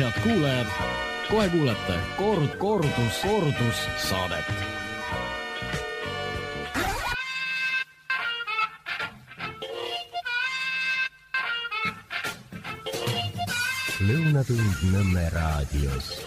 Head kuulajad, kohe kuulete kordus saadet. Lõunatund Nõmme raadios.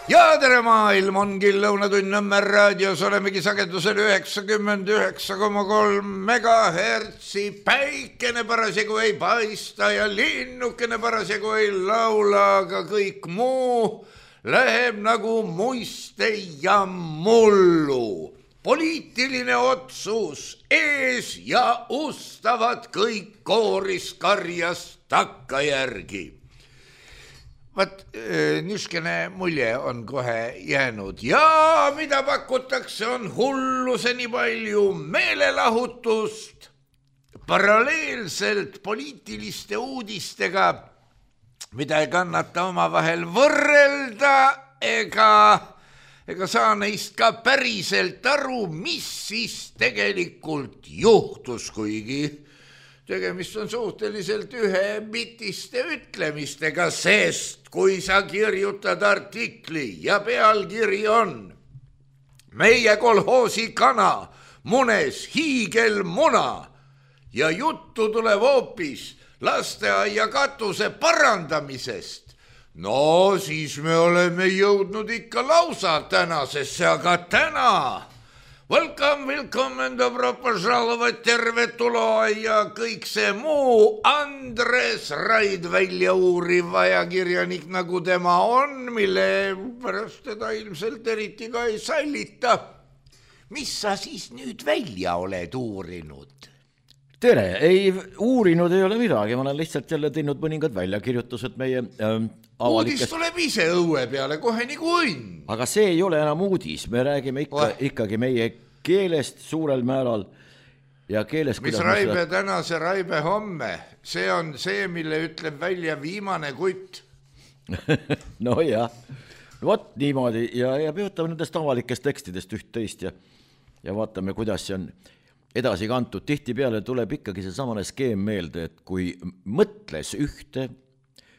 Ja tere maailm, ongi Lõunatund Nõmme raadios, olemegi sagedusel 99,3 megahertsi, päikene parasjagu ei paista ja linnukene parasjagu ei laula, aga kõik muu läheb nagu muiste ja mullu. Poliitiline otsus ees ja ustavad kõik kooris karjast takkajärgi. Vaat niiskene mulje on kohe jäänud ja mida pakutakse on hulluse nii palju meelelahutust paralleelselt poliitiliste uudistega, mida ei kannata omavahel võrrelda ega saa neist ka päriselt aru, mis siis tegelikult juhtus, kuigi tegemist on suhteliselt ühebitiste ütlemistega, sest kui sa kirjutad artikli ja pealkiri on meie kolhoosi kana munes hiigelmuna ja juttu tuleb hoopis lasteaia katuse parandamisest, no siis me oleme jõudnud ikka lausa tänasesse, aga täna Welcome and dobro požalovat, tervetuloa ja kõik see muu. Andres Raid välja uuriv ajakirjanik, nagu tema on, mille pärast teda ilmselt eriti ka ei sallita. Mis sa siis nüüd välja oled uurinud? Tere, ei uurinud ei ole midagi, ma olen lihtsalt jälle teinud mõningad väljakirjutused meie Uudis tuleb ise õue peale kohe nagu õnn. Aga see ei ole enam uudis, me räägime ikkagi meie keelest suurel määral ja keelest... Mis Raibe täna, see Raibe homme, see on see, mille ütleb välja viimane kutt. No jah, vot niimoodi ja peotame nendest avalikest tekstidest üht-teist ja vaatame, kuidas see on edasi kantud. Tihtipeale tuleb ikkagi see samane skeem meelde, et kui mõtles ühte,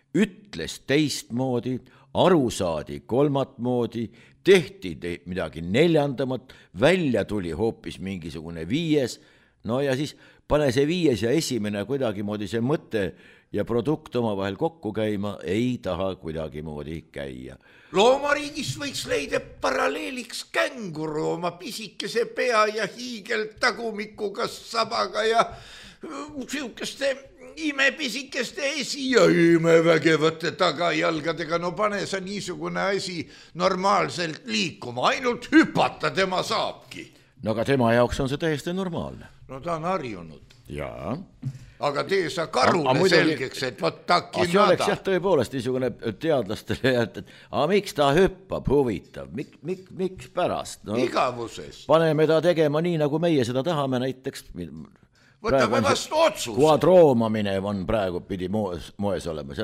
ütles teistmoodi, aru saadi kolmat moodi, tehti midagi neljandamat, välja tuli hoopis mingisugune viies, no ja siis pane see viies ja esimene kuidagi moodi see mõte ja produkt omavahel kokku käima ei taha kuidagi moodi käia. Loomariigis võiks leida paralleeliks känguru oma pisikese pea ja hiigelt tagumikuga sabaga ja siukeste imepisikeste esi ja imevägevate tagajalgadega. No pane sa niisugune asi normaalselt liikuma, ainult hüpata tema saabki. No aga tema jaoks on see täiesti normaalne. No ta on harjunud. Jaa. Aga tee sa karule selgeks, et võt taki nada. See oleks jah tõepoolest niisugune teadlastele, et miks ta hüppab, huvitav, miks pärast? No, igavusest. Paneme ta tegema nii, nagu meie seda tahame näiteks. Võtame vastu otsuse. Kuadroomamine on praegu pidi moes olema.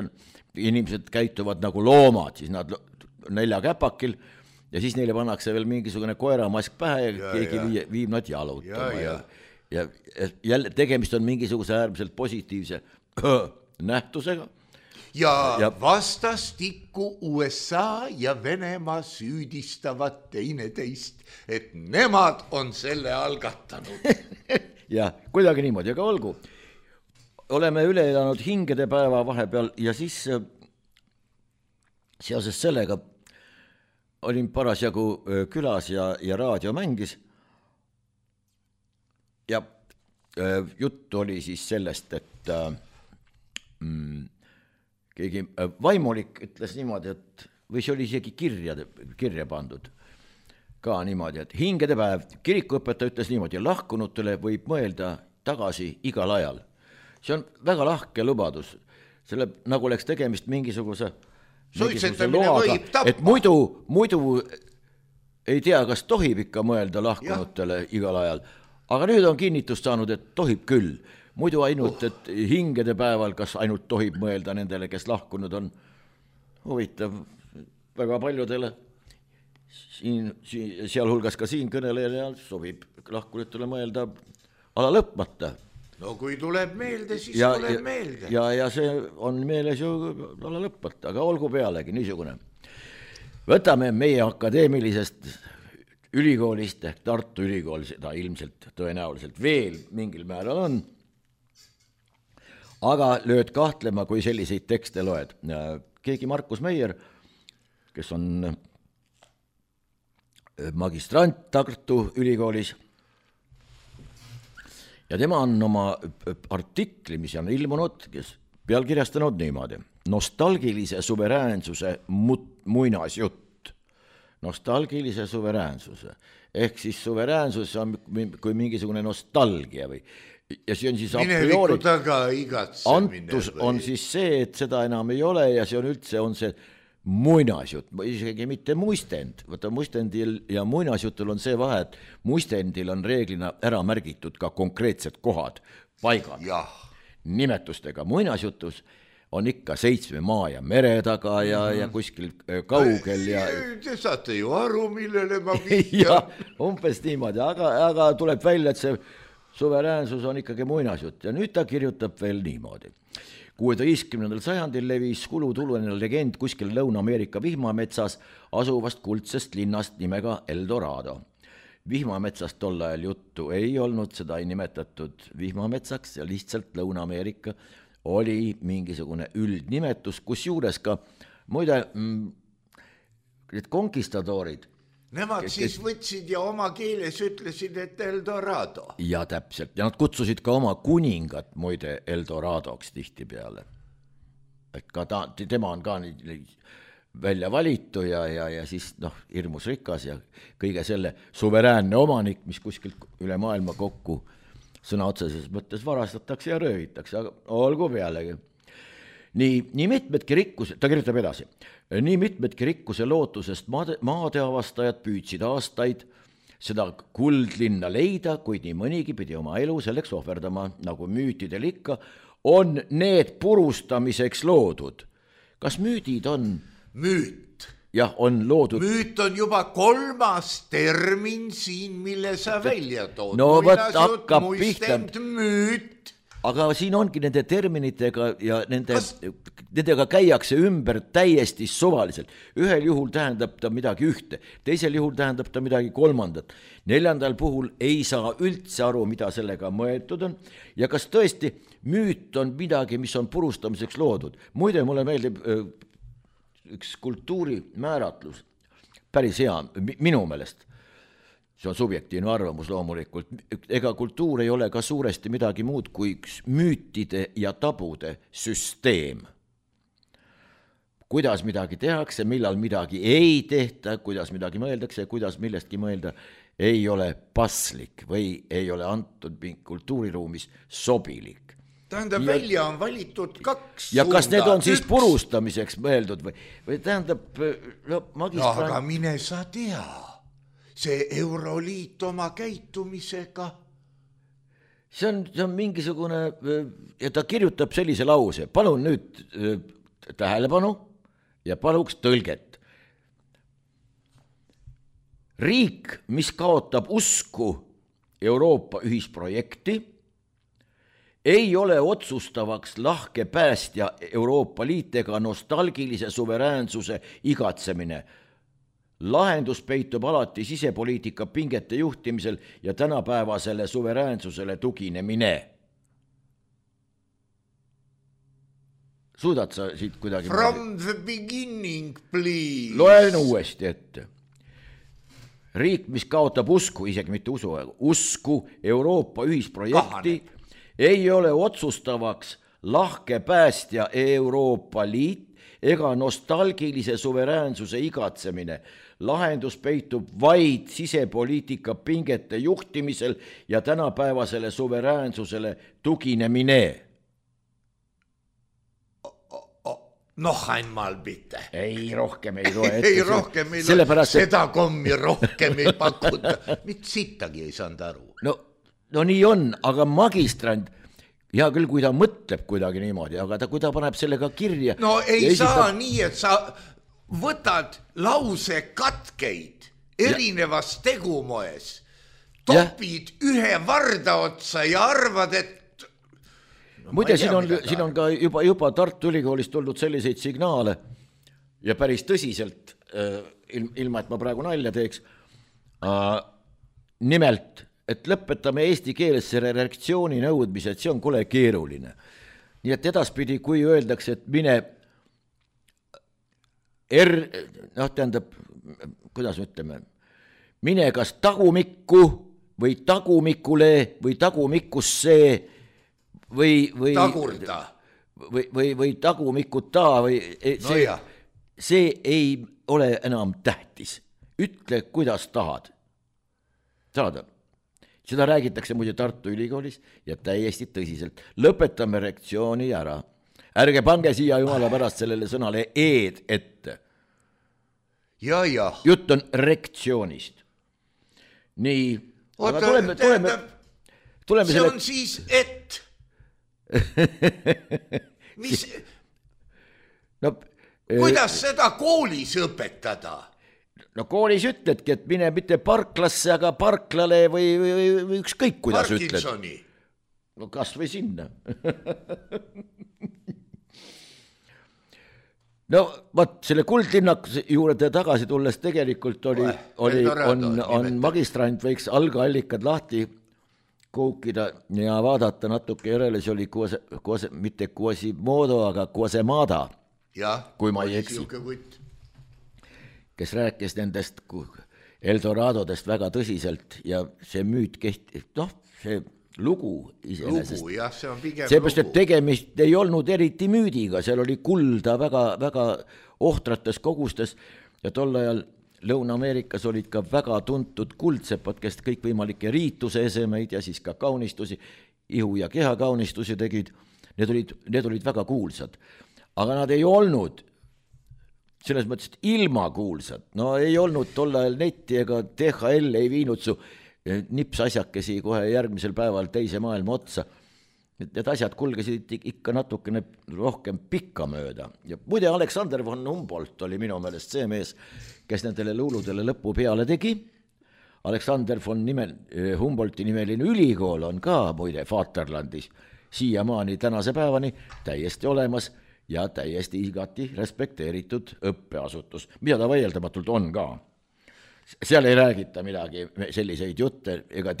Inimesed käituvad nagu loomad, siis nad 4 käpakil ja siis neile pannakse veel mingisugune koeramask pähe ja keegi viib nad jalutama. Ja jälle tegemist on mingisuguse äärmiselt positiivse nähtusega. Ja vastastikku USA ja Venemaa süüdistavad teineteist, et nemad on selle algatanud. Ja kuidagi niimoodi, aga olgu. Oleme üle elanud hingede päeva vahepeal ja siis seoses sellega olin parasjagu külas ja raadio mängis. Ja jutt oli siis sellest, et keegi vaimulik ütles niimoodi, et või see oli isegi kirja pandud ka niimoodi, et hingede päev, kirikuõpetaja ütles niimoodi, lahkunutele võib mõelda tagasi igal ajal. See on väga lahke lubadus, selle nagu oleks tegemist mingisuguse loaga, et muidu ei tea, kas tohib ikka mõelda lahkunutele igal ajal. Aga nüüd on kinnitust saanud, et tohib küll. Muidu ainult, et hingede päeval, kas ainult tohib mõelda nendele, kes lahkunud on. Huvitav väga paljudele. Sealhulgas ka siin kõnelejale sobib lahkunutele mõelda ala lõpmata. no kui tuleb meelde, siis tuleb meelde. Ja see on meeles ju alla lõpmata, aga olgu pealegi niisugune. Võtame meie akadeemilisest ülikoolist ehk Tartu Ülikool, seda ilmselt tõenäoliselt veel mingil määral on, aga lööd kahtlema, kui selliseid tekste loed. Keegi Markus Meier, kes on magistrant Tartu Ülikoolis, ja tema on oma artikli, mis on ilmunud, kes pealkirjastanud niimoodi. Nostalgilise suveräänsuse muinasjutt. Nostalgilise suveräänsuse. Ehk siis suveräänsus on kui mingisugune nostalgia või. Ja see on siis a priori. Antus on siis see, et seda enam ei ole ja see on üldse on see muinasjutt, isegi mitte muistend. Võta muistendil ja muinasjutul on see vahe, et muistendil on reeglina ära märgitud ka konkreetsed kohad, paigad, nimetustega. Muinasjutus on ikka 7 maa ja mere taga ja kuskil kaugel. Te saate ju aru, millele ma vihjan. Ja, umbes niimoodi, aga tuleb välja, et see suveräänsus on ikkagi muinasjutt ja nüüd ta kirjutab veel niimoodi. 16. sajandil levis kulutululine legend kuskil Lõuna-Ameerika vihmametsas asuvast kuldsest linnast nimega Eldorado. Vihmametsast tol ajal juttu ei olnud, seda ei nimetatud vihmametsaks ja lihtsalt Lõuna-Ameerika oli mingisugune üldnimetus, kus juures ka muide need konkistadoorid. Nemad siis võtsid ja oma keeles ütlesid, et Eldorado. Ja täpselt, ja nad kutsusid ka oma kuningat muide Eldoradoks tihti peale. Et ka tema on ka välja valitu ja siis hirmus rikas ja kõige selle suveräänne omanik, mis kuskilt üle maailma kokku sõna otseses mõttes varastatakse ja röövitakse, aga olgu pealegi. Nii mitmedki rikkuse, ta kirjutab edasi, nii mitmedki rikkuse lootusest maade avastajad püüdsid aastaid seda kuldlinna leida, kuid nii mõnigi pidi oma elu selleks ohverdama, nagu müütidel ikka, on need purustamiseks loodud. Kas müüdid on? Müüt. Jah, on loodud. Müüt on juba 3. termin siin, mille sa välja tood. No võt hakkab pihta. Müüt. Aga siin ongi nende terminitega ja nendega käiakse ümber täiesti suvaliselt. Ühel juhul tähendab ta midagi ühte, teisel juhul tähendab ta midagi kolmandat. 4. puhul ei saa üldse aru, mida sellega mõeldud on. Ja kas tõesti müüt on midagi, mis on purustamiseks loodud? Muide, mulle meeldib üks kultuuri määratlus, päris hea, minu meelest. See on subjektiivne arvamus loomulikult. Ega kultuur ei ole ka suuresti midagi muud kui üks müütide ja tabude süsteem. Kuidas midagi tehakse, millal midagi ei tehta, kuidas midagi mõeldakse ja kuidas millestki mõelda ei ole paslik või ei ole antud kultuuriruumis sobilik. Tähendab, välja on valitud 2 suunda. Ja kas need on siis purustamiseks mõeldud või tähendab magistrant... aga mine sa tea, see Euroliit oma käitumisega. See on mingisugune, ja ta kirjutab sellise lause, palun nüüd tähelepanu ja paluks tõlget. Riik, mis kaotab usku Euroopa ühisprojekti, ei ole otsustavaks lahke päästja Euroopa Liit ega nostalgilise suveräänsuse igatsemine. Lahendus peitub alati sisepoliitika pingete juhtimisel ja tänapäevasele suveräänsusele tuginemine. Suudad sa siit kuidagi... From the beginning, please. Loen uuesti ette. Riik, mis kaotab usku, isegi mitte usku Euroopa ühisprojekti, ei ole otsustavaks lahke päästja Euroopa Liit ega nostalgilise suveräänsuse igatsemine. Lahendus peitub vaid sisepoliitika pingete juhtimisel ja tänapäevasele suveräänsusele tuginemine. Einmal bitte. Ei, rohkem ei loe ette. Ei, rohkem ei loe. Seda kommi rohkem ei pakuta. Mitte sittagi ei saanud aru. No nii on, aga magistrant, hea küll, kui ta mõtleb kuidagi niimoodi, aga kui ta paneb sellega kirja... No ei saa nii, et sa võtad lause katkeid erinevas tegumoes, topid ühe varda otsa ja arvad, et muide, siin on ka juba Tartu Ülikoolist tulnud selliseid signaale ja päris tõsiselt, ilma et ma praegu nalja teeks, nimelt, et lõpetame eesti keeles selle reaktsiooni nõudmise, et see on kole keeruline. Nii et edaspidi, kui öeldakse, et mine tähendab, kuidas ütleme, mine kas tagumikku või tagumikule või tagumikusse või tagurda või tagumikuta või see ei ole enam tähtis. Ütle, kuidas tahad. Saada. Seda räägitakse muide Tartu Ülikoolis ja täiesti tõsiselt. Lõpetame reaktsiooni ära. Ärge pange siia jumala pärast sellele sõnale eed ette. Ja. Jutt on reaktsioonist. Nii. Tuleme see on siis et. Mis? Kuidas seda koolis õpetada? No koolis ütledki, et mine mitte parklasse, aga parklale või ükskõik kuidas Parkinsoni. Ütled. No kas või sinna. No vaat selle kuldlinnaku juurde tagasi tulles tegelikult on magistrant võiks algallikad lahti koukida ja vaadata natuke järele, see oli mitte Quasimodo, aga Quasemada, kui ma ei eksi. Kes rääkis nendest Eldoradodest väga tõsiselt ja see müüt see lugu iseenesest. Lugu, jah, see on pigem seepärast, et tegemist ei olnud eriti müüdiga, seal oli kulda väga ohtrates kogustes ja tol ajal Lõuna-Ameerikas olid ka väga tuntud kuldsepad, kes kõikvõimalikke riituse esemeid ja siis ka kaunistusi, ihu- ja kehakaunistusi tegid. Need olid väga kuulsad, aga nad ei olnud selles mõttes, et ilma kuulsad. No ei olnud tol ajal netti ega DHL ei viinud su nipsasjakesi kohe järgmisel päeval teise maailma otsa. Need asjad kulgesid ikka natukene rohkem pikka mööda. Ja muide, Alexander von Humboldt oli minu meelest see mees, kes nendele luuludele lõpu peale tegi. Alexander von Humboldti nimeline ülikool on ka muide Vaterlandis siiamaani tänase päevani täiesti olemas ja täiesti igati respekteeritud õppeasutus, mida ta vaieldamatult on ka. Seal ei räägita midagi selliseid jutte ega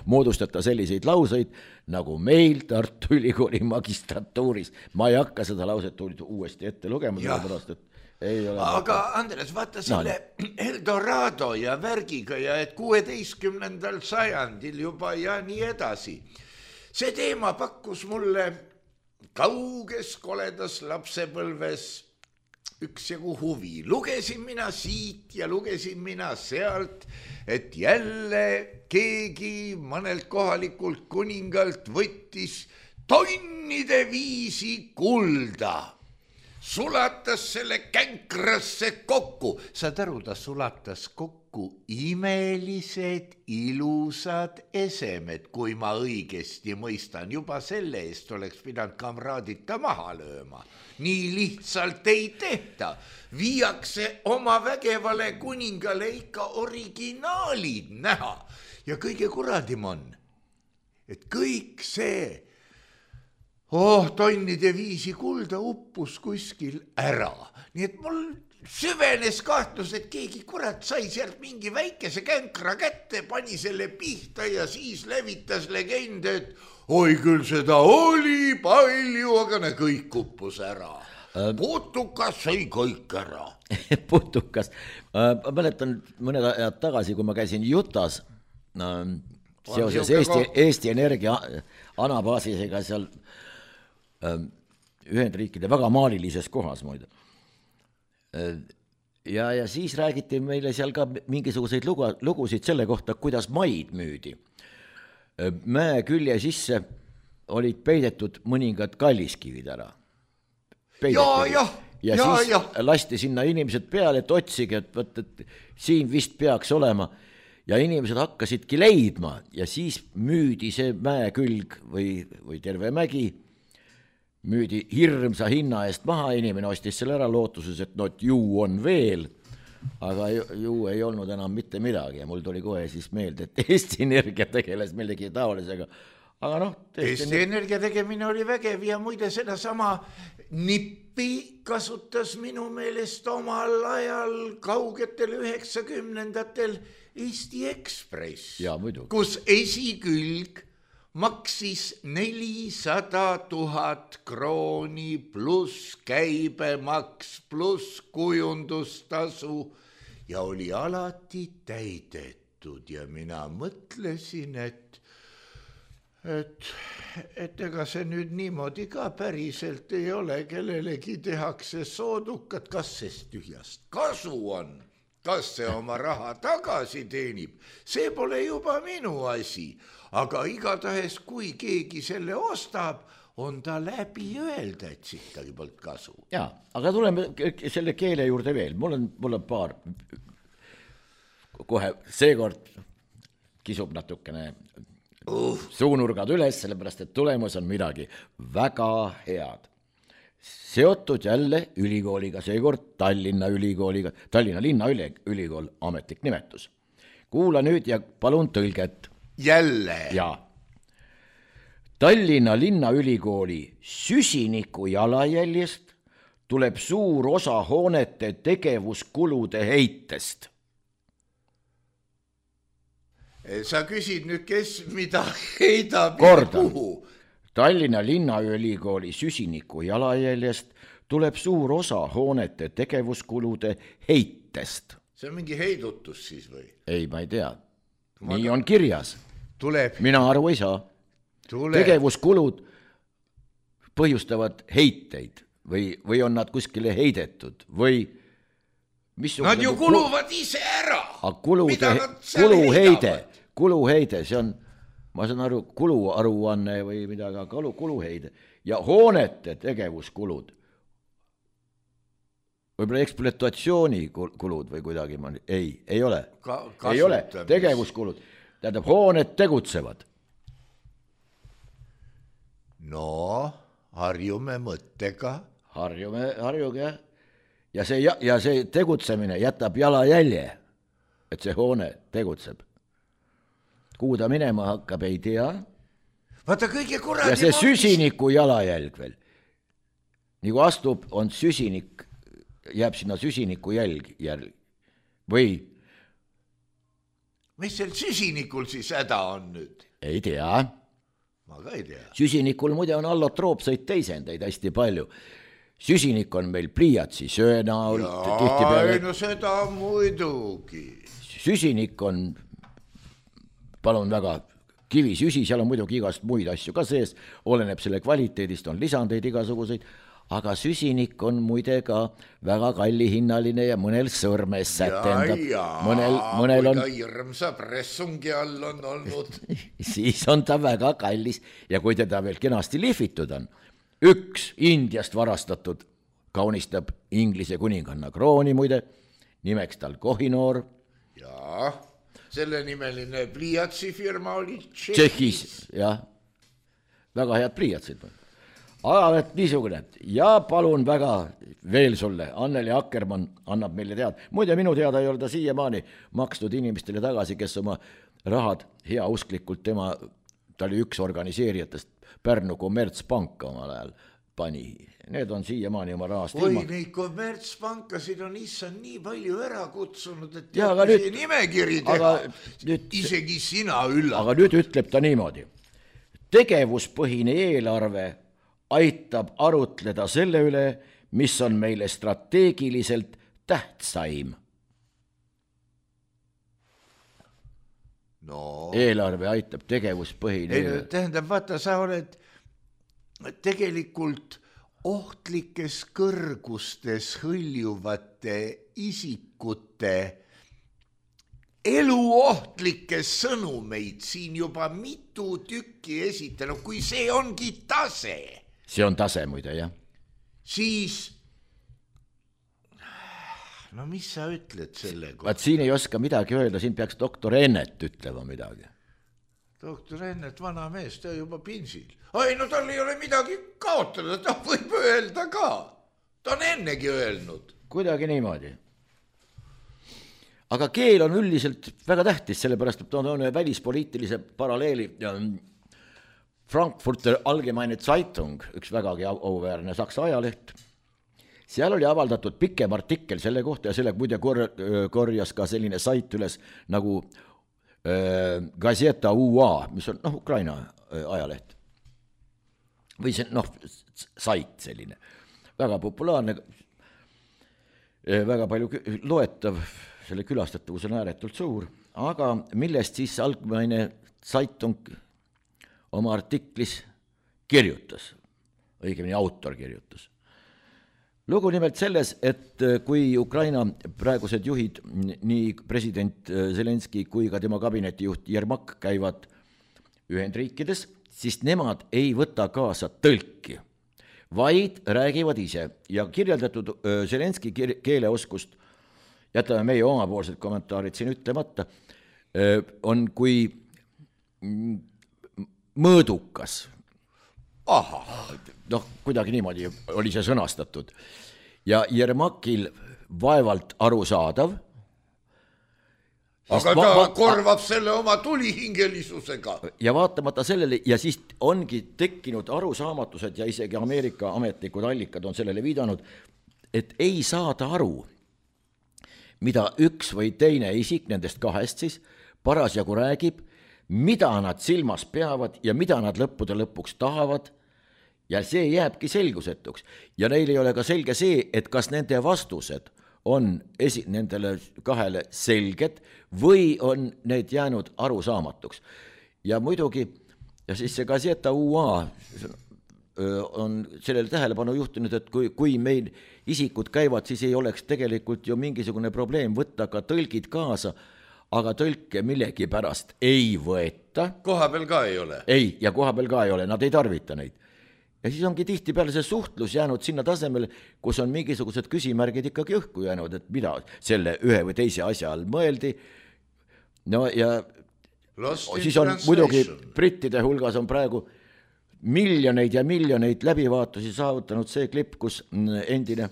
moodustata selliseid lauseid, nagu meil Tartu Ülikooli magistratuuris. Ma ei hakka seda lauset uuesti ette lugema, sellepärast, et ei ole. Aga Andres, vaata selle Eldorado ja värgiga ja et 16. sajandil juba ja nii edasi. See teema pakkus mulle kauges koledas lapsepõlves üksjagu huvi. Lugesin mina siit ja lugesin mina sealt, et jälle keegi mõnelt kohalikult kuningalt võttis tonnide viisi kulda. Sulatas selle känkrasse kokku. Saad aru, ta sulatas kokku imelised, ilusad esemed, kui ma õigesti mõistan. Juba selle eest oleks pidanud kamraadita maha lööma. Nii lihtsalt ei tehta. Viiakse oma vägevale kuningale ikka originaalid näha. Ja kõige kuradim on, et kõik see tonnide viisi kulda uppus kuskil ära. Nii et mul süvenes kahtlus, et keegi kurat sai sealt mingi väikese känkra kätte, pani selle pihta ja siis levitas legende, et oi küll seda oli palju, aga kõik uppus ära. Putukas sai kõik ära. Putukas. Ma mäletan mõned ajad tagasi, kui ma käisin Jutas seoses Eesti Energia anabaasisega seal Ühendriikide väga maalilises kohas muide. Ja siis räägiti meile seal ka mingisuguseid lugusid selle kohta, kuidas maid müüdi. Mäe külje sisse olid peidetud mõningad kalliskivid ära. Ja siis lasti sinna inimesed peale, et otsige, et siin vist peaks olema. Ja inimesed hakkasidki leidma ja siis müüdi see mäe külg või terve mägi, müüdi hirmsa hinna eest maha, inimene ostis selle ära lootuses, et ju on veel, aga ju ei olnud enam mitte midagi ja mul tuli kohe siis meelde, et Eesti Energia tegeles millegi taolisega, aga noh, Eesti Energia tegemine oli vägev ja muide sedasama nippi kasutas minu meelest omal ajal kaugetel 90-ndatel Eesti Ekspress, kus esikülg maksis 400 000 krooni pluss käibemaks pluss kujundustasu ja oli alati täidetud ja mina mõtlesin, et ega see nüüd niimoodi ka päriselt ei ole, kellelegi tehakse soodukat, kas sest tühjast kasu on, kas see oma raha tagasi teenib, see pole juba minu asi, aga igatahes kui keegi selle ostab, on ta läbi öelda, et siit tagi polnud kasu. Jaa, aga tuleme selle keele juurde veel, mul on paar, kohe seekord kisub natukene suunurgad üles, sellepärast, et tulemus on midagi väga head. Seotud jälle ülikooliga, seekord Tallinna ülikooliga, Tallinna linna ülikool, ametlik nimetus. Kuula nüüd ja palun tõlget. Jälle. Jaa. Tallinna linnaülikooli süsiniku jalajäljest tuleb suur osa hoonete tegevuskulude heitest. Sa küsid nüüd, kes mida heidab Kordan. ja kuhu? Tallinna linnaülikooli süsiniku jalajäljest tuleb suur osa hoonete tegevuskulude heitest. See on mingi heidutus siis või? Ei, ma ei tea. Nii on kirjas. Tuleb. Mina aru ei saa. Tegevuskulud põhjustavad heiteid või on nad kuskile heidetud või nad ju kuluvad ise ära. Kuluheide, see on, ma saan aru, kuluaruanne või midagi, aga kuluheide ja hoonete tegevuskulud, võib-olla ekspluatatsioonikulud või kuidagi, ei ole, ei ole, tegevuskulud, tähendab, hooned tegutsevad. No, harjume mõttega. Harjuge. Ja see tegutsemine jätab jalajälje, et see hoone tegutseb. Kuhu ta minema hakkab, ei tea. Vaata kõige kuradi... Ja see süsiniku jalajälg veel. Nagu astub, on süsinik, jääb sinna süsiniku jälg. Või? Mis seal süsinikul siis häda on nüüd? Ei tea. Ma ka ei tea. Süsinikul muide on allotroopseid teisendeid hästi palju. Süsinik on meil pliiatsi söönaul. Jaa, no seda muidugi. Süsinik on, palun väga, kivisüsi, seal on muidugi igast muid asju ka sees, oleneb selle kvaliteedist, on lisandeid igasuguseid, aga süsinik on muide ka väga kallihinnaline ja mõnel sõrmes sätendab. Mõnel on... kui ta hirmsa pressungi all on olnud. Siis on ta väga kallis ja kui teda veel kenasti lihvitud on, üks Indiast varastatud kaunistab Inglise kuninganna krooni muide, nimeks tal Kohinoor. Jaa, selle nimeline pliiatsifirma oli Tšehhis. Jah, väga head pliiatsid. Aga niisugune. Ja palun väga veel sulle, Anneli Akkermann annab meile teada. Muide, minu teada ei ole ta siiamaani makstud inimestele tagasi, kes oma rahad heausklikult ta oli üks organiseerijatest, Pärnu kommertspanka omal ajal pani. Need on siiamaani oma rahast ilma. Oi, neid kommertspankasid on issand nii palju ära kutsunud, et nüüd, nimekiri teha. Isegi sina üllad. Aga nüüd ütleb ta niimoodi. Tegevuspõhine eelarve aitab arutleda selle üle, mis on meile strateegiliselt tähtsaim. No. Eelarve aitab tegevuspõhine. Tähendab, vaata, sa oled tegelikult ohtlikes kõrgustes hõljuvate isikute eluohtlikes sõnumeid siin juba mitu tükki esitanud, kui see ongi tase. See on tase muide, jah. Siis, no mis sa ütled selle kohta? Vaat siin ei oska midagi öelda, siin peaks doktor Ennet ütlema midagi. Doktor Ennet, vana mees, ta juba pinsil. Ai, no tal ei ole midagi kaotada, ta võib öelda ka. Ta on ennegi öelnud. Kuidagi niimoodi. Aga keel on üldiselt väga tähtis, sellepärast, et ta on välispoliitilise paralleeli Frankfurter Allgemeine Zeitung, üks vägagi auväärne saksa ajaleht, seal oli avaldatud pikem artikkel selle kohta ja selle muide korjas ka selline sait üles nagu Gazeta UA, mis on Ukraina ajaleht. Või see sait selline, väga populaarne, väga palju loetav, selle külastatavus on ääretult suur, aga millest siis Allgemeine Zeitung oma artiklis kirjutas, õigemini autor kirjutas. Lugu nimelt selles, et kui Ukraina praegused juhid, nii president Zelenski kui ka tema kabinetijuht Jermak käivad Ühendriikides, siis nemad ei võta kaasa tõlki, vaid räägivad ise ja kirjeldatud Zelenski keeleoskust, jätame meie omapoolsed kommentaarid siin ütlemata, on kui mõõdukas. Kuidagi niimoodi oli see sõnastatud. Ja Jermakil vaevalt arusaadav. Aga ta korvab selle oma tulihingelisusega. Ja vaatamata sellele, ja siis ongi tekkinud arusaamatused ja isegi Ameerika ametlikud allikad on sellele viidanud, et ei saada aru, mida üks või teine isik nendest kahest siis parasjagu räägib, mida nad silmas peavad ja mida nad lõppude lõpuks tahavad ja see jääbki selgusetuks. Ja neil ei ole ka selge see, et kas nende vastused on nendele kahele selged või on need jäänud arusaamatuks. Ja muidugi, ja siis see Gazeta UA on sellele tähelepanu juhtinud, et kui meil isikud käivad, siis ei oleks tegelikult ju mingisugune probleem võtta ka tõlgid kaasa, aga tõlke millegi pärast ei võeta. Koha peal ka ei ole. Ei, ja koha peal ka ei ole, nad ei tarvita neid. Ja siis ongi tihti peale see suhtlus jäänud sinna tasemele, kus on mingisugused küsimärgid ikkagi õhku jäänud, et mida selle ühe või teise asja all mõeldi. No ja siis on muidugi brittide hulgas on praegu miljoneid ja miljoneid läbivaatusi saavutanud see klipp, kus endine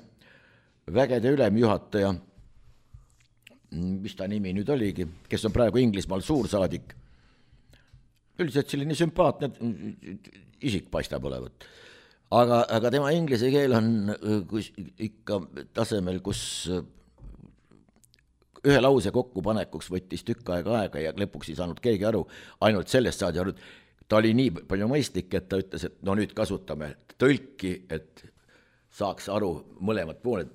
vägede ülemjuhataja, mis ta nimi nüüd oligi, kes on praegu Inglismaal suursaadik, üldiselt selline sümpaatne isik paistab olevat. Aga tema inglise keel on ikka tasemel, kus ühe lause kokkupanekuks võttis tükk aega ja lõpuks ei saanud keegi aru, ainult sellest saadi aru, ta oli nii palju mõistlik, et ta ütles, et nüüd kasutame tõlki, et saaks aru mõlemad pooled,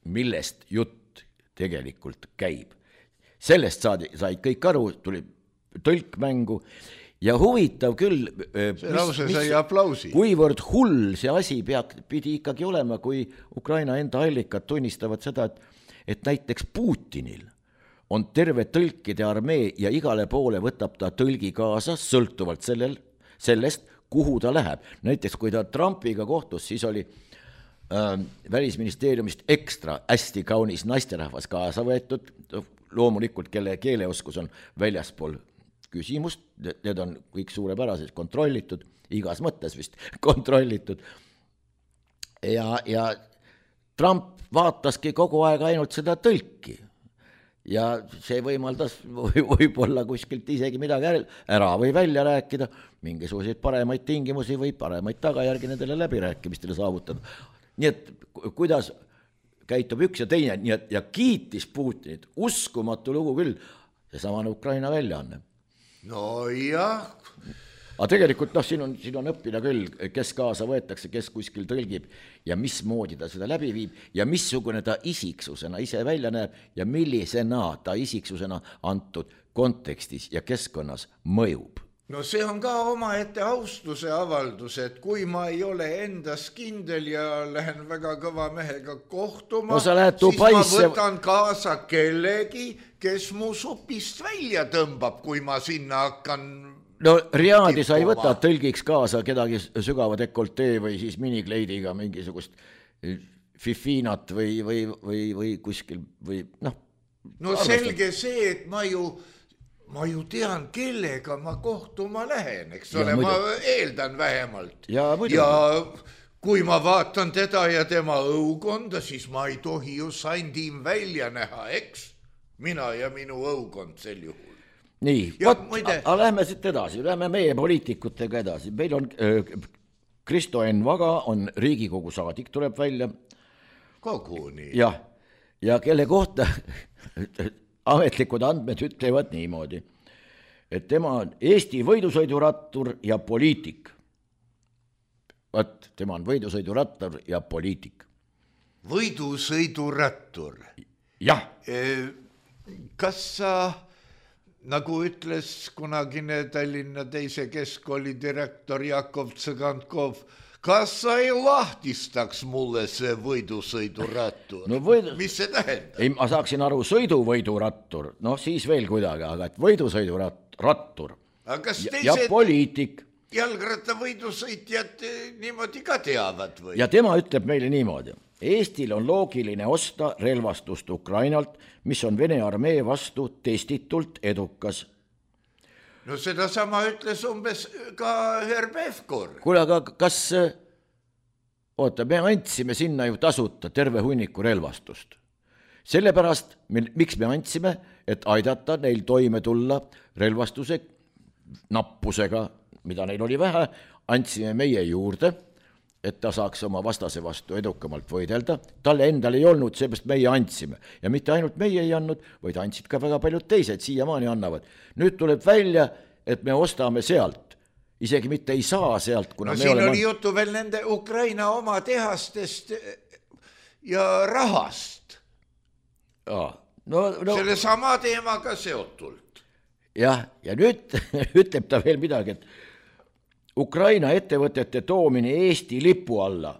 millest jutt tegelikult käib. Sellest sai kõik aru, tuli tõlk mängu ja huvitav küll, kuivõrd hull see asi pidi ikkagi olema, kui Ukraina enda allikad tunnistavad seda, et näiteks Putinil on terve tõlkide armee ja igale poole võtab ta tõlgi kaasa, sõltuvalt sellest, kuhu ta läheb. Näiteks kui ta Trumpiga kohtus, siis oli välisministeeriumist ekstra hästi kaunis naisterahvas kaasa võetud, loomulikult kelle keeleoskus on väljaspool küsimust, need on kõik suurepäraselt kontrollitud, igas mõttes vist kontrollitud. Ja Trump vaataski kogu aeg ainult seda tõlki ja see võimaldas võib-olla kuskilt isegi midagi ära või välja rääkida, mingisuguseid paremaid tingimusi või paremaid tagajärgi nendele läbirääkimistele saavutada. Nii et kuidas käitub üks ja teine ja kiitis Putinit, uskumatu lugu küll, see samane Ukraina väljaanne. No jah. Aga tegelikult siin on õppida küll, kes kaasa võetakse, kes kuskil tõlgib ja mismoodi ta seda läbi viib ja missugune ta isiksusena ise välja näeb ja millisena ta isiksusena antud kontekstis ja keskkonnas mõjub. No see on ka omaette austuse avaldus, et kui ma ei ole endas kindel ja lähen väga kõva mehega kohtuma, siis ma võtan kaasa kellegi, kes mu supist välja tõmbab, kui ma sinna hakkan. No Riadi sa ei võta tõlgiks kaasa kedagi sügava dekoltee või siis minikleidiga mingisugust fifinat või kuskil või noh. No selge see, et ma ju tean, kellega ma kohtuma lähen, eks ole, ma eeldan vähemalt. Ja kui ma vaatan teda ja tema õukonda, siis ma ei tohi ju sandim välja näha, eks? Mina ja minu õukond sel juhul. nii, lähme siit edasi, lähme meie poliitikutega edasi. Meil on Kristo Enn Vaga on Riigikogu saadik, tuleb välja. Koguni. Ja kelle kohta ametlikud andmed ütlevad niimoodi, et tema on Eesti võidusõidurattur ja poliitik. Tema on võidusõidurattur ja poliitik. Võidusõidurattur? Jah. Kas sa, nagu ütles kunagine Tallinna teise keskkooli direktor Jakov Tsõgankov, kas sa ei lahtistaks mulle see võidusõidurattur? Mis see tähendab? Ei, ma saaksin aru sõiduvõidurattur, siis veel kuidagi, aga et võidusõidurattur ja poliitik. Jalgrattavõidusõitjad niimoodi ka teavad või? Ja tema ütleb meile niimoodi. Eestil on loogiline osta relvastust Ukrainalt, mis on Vene armee vastu testitult edukas. No seda sama ütles umbes ka Herr Pevkur. Kuule, aga kas... me andsime sinna ju tasuta terve hunniku relvastust. Sellepärast, miks me andsime, et aidata neil toime tulla relvastuse nappusega, mida neil oli vähe, andsime meie juurde, et ta saaks oma vastase vastu edukamalt võidelda. Talle endal ei olnud, seepärast meie andsime. Ja mitte ainult meie ei andnud, vaid andsid ka väga paljud teised, siiamaani annavad. Nüüd tuleb välja, et me ostame sealt. Isegi mitte ei saa sealt, kuna siin oli jutu veel nende Ukraina oma tehastest ja rahast. Selle sama teemaga seotult. Ja nüüd ütleb ta veel midagi, et Ukraina ettevõtete toomine Eesti lipu alla,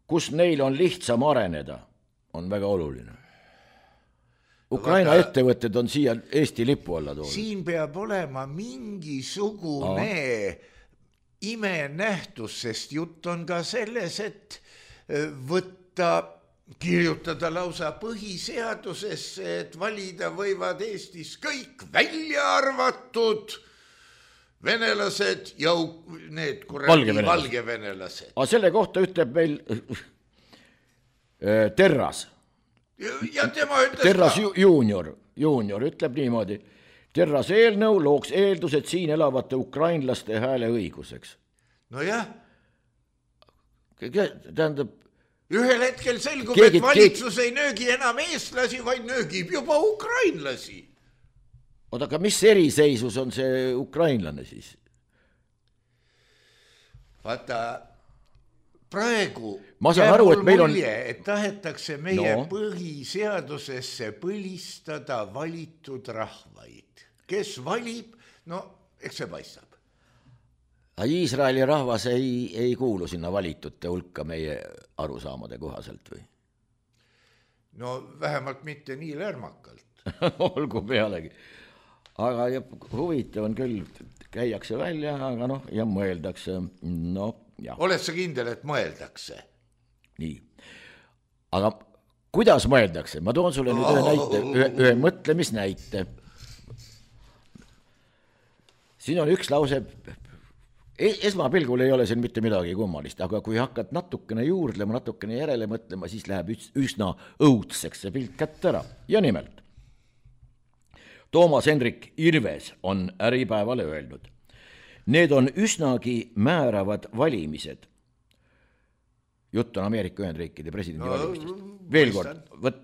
kus neil on lihtsam areneda, on väga oluline. Ukraina ettevõtted on siia Eesti lipu alla toodud. Siin peab olema mingisugune imenähtus, sest jutt on ka selles, et kirjutada lausa põhiseadusesse, et valida võivad Eestis kõik välja arvatud venelased ja need valgevenelased. Aga selle kohta ütleb meil Terras. Ja tema ütles Terras junior ütleb niimoodi. Terras eelnõu looks eeldused siin elavate ukrainlaste hääle õiguseks. No jah. Tähendab... Ühel hetkel selgub, et valitsus ei nöögi enam eestlasi, vaid nöögib juba ukrainlasi. Aga mis eriseisus on see ukrainlane siis? Vaata, praegu mulje, et tahetakse meie põhiseadusesse põlistada valitud rahvaid. Kes valib, eks see paistab. Iisraeli rahvas ei kuulu sinna valitute hulka meie arusaamade kohaselt või? No vähemalt mitte nii lärmakalt. Olgu pealegi. Aga huvitav on küll, käiakse välja, aga ja mõeldakse. Oled sa kindel, et mõeldakse? Nii. Aga kuidas mõeldakse? Ma toon sulle nüüd ühe mõtlemisnäite. Siin on üks lause, esmapilgul ei ole siin mitte midagi kummalist, aga kui hakkad natukene juurdlema, natukene järele mõtlema, siis läheb üsna õudseks see pilt kätte ära. Ja nimelt. Toomas Hendrik Ilves on Äripäevale öelnud. Need on üsnagi määravad valimised. Jutt on Ameerika Ühendriikide presidendi valimistest. Veel kord,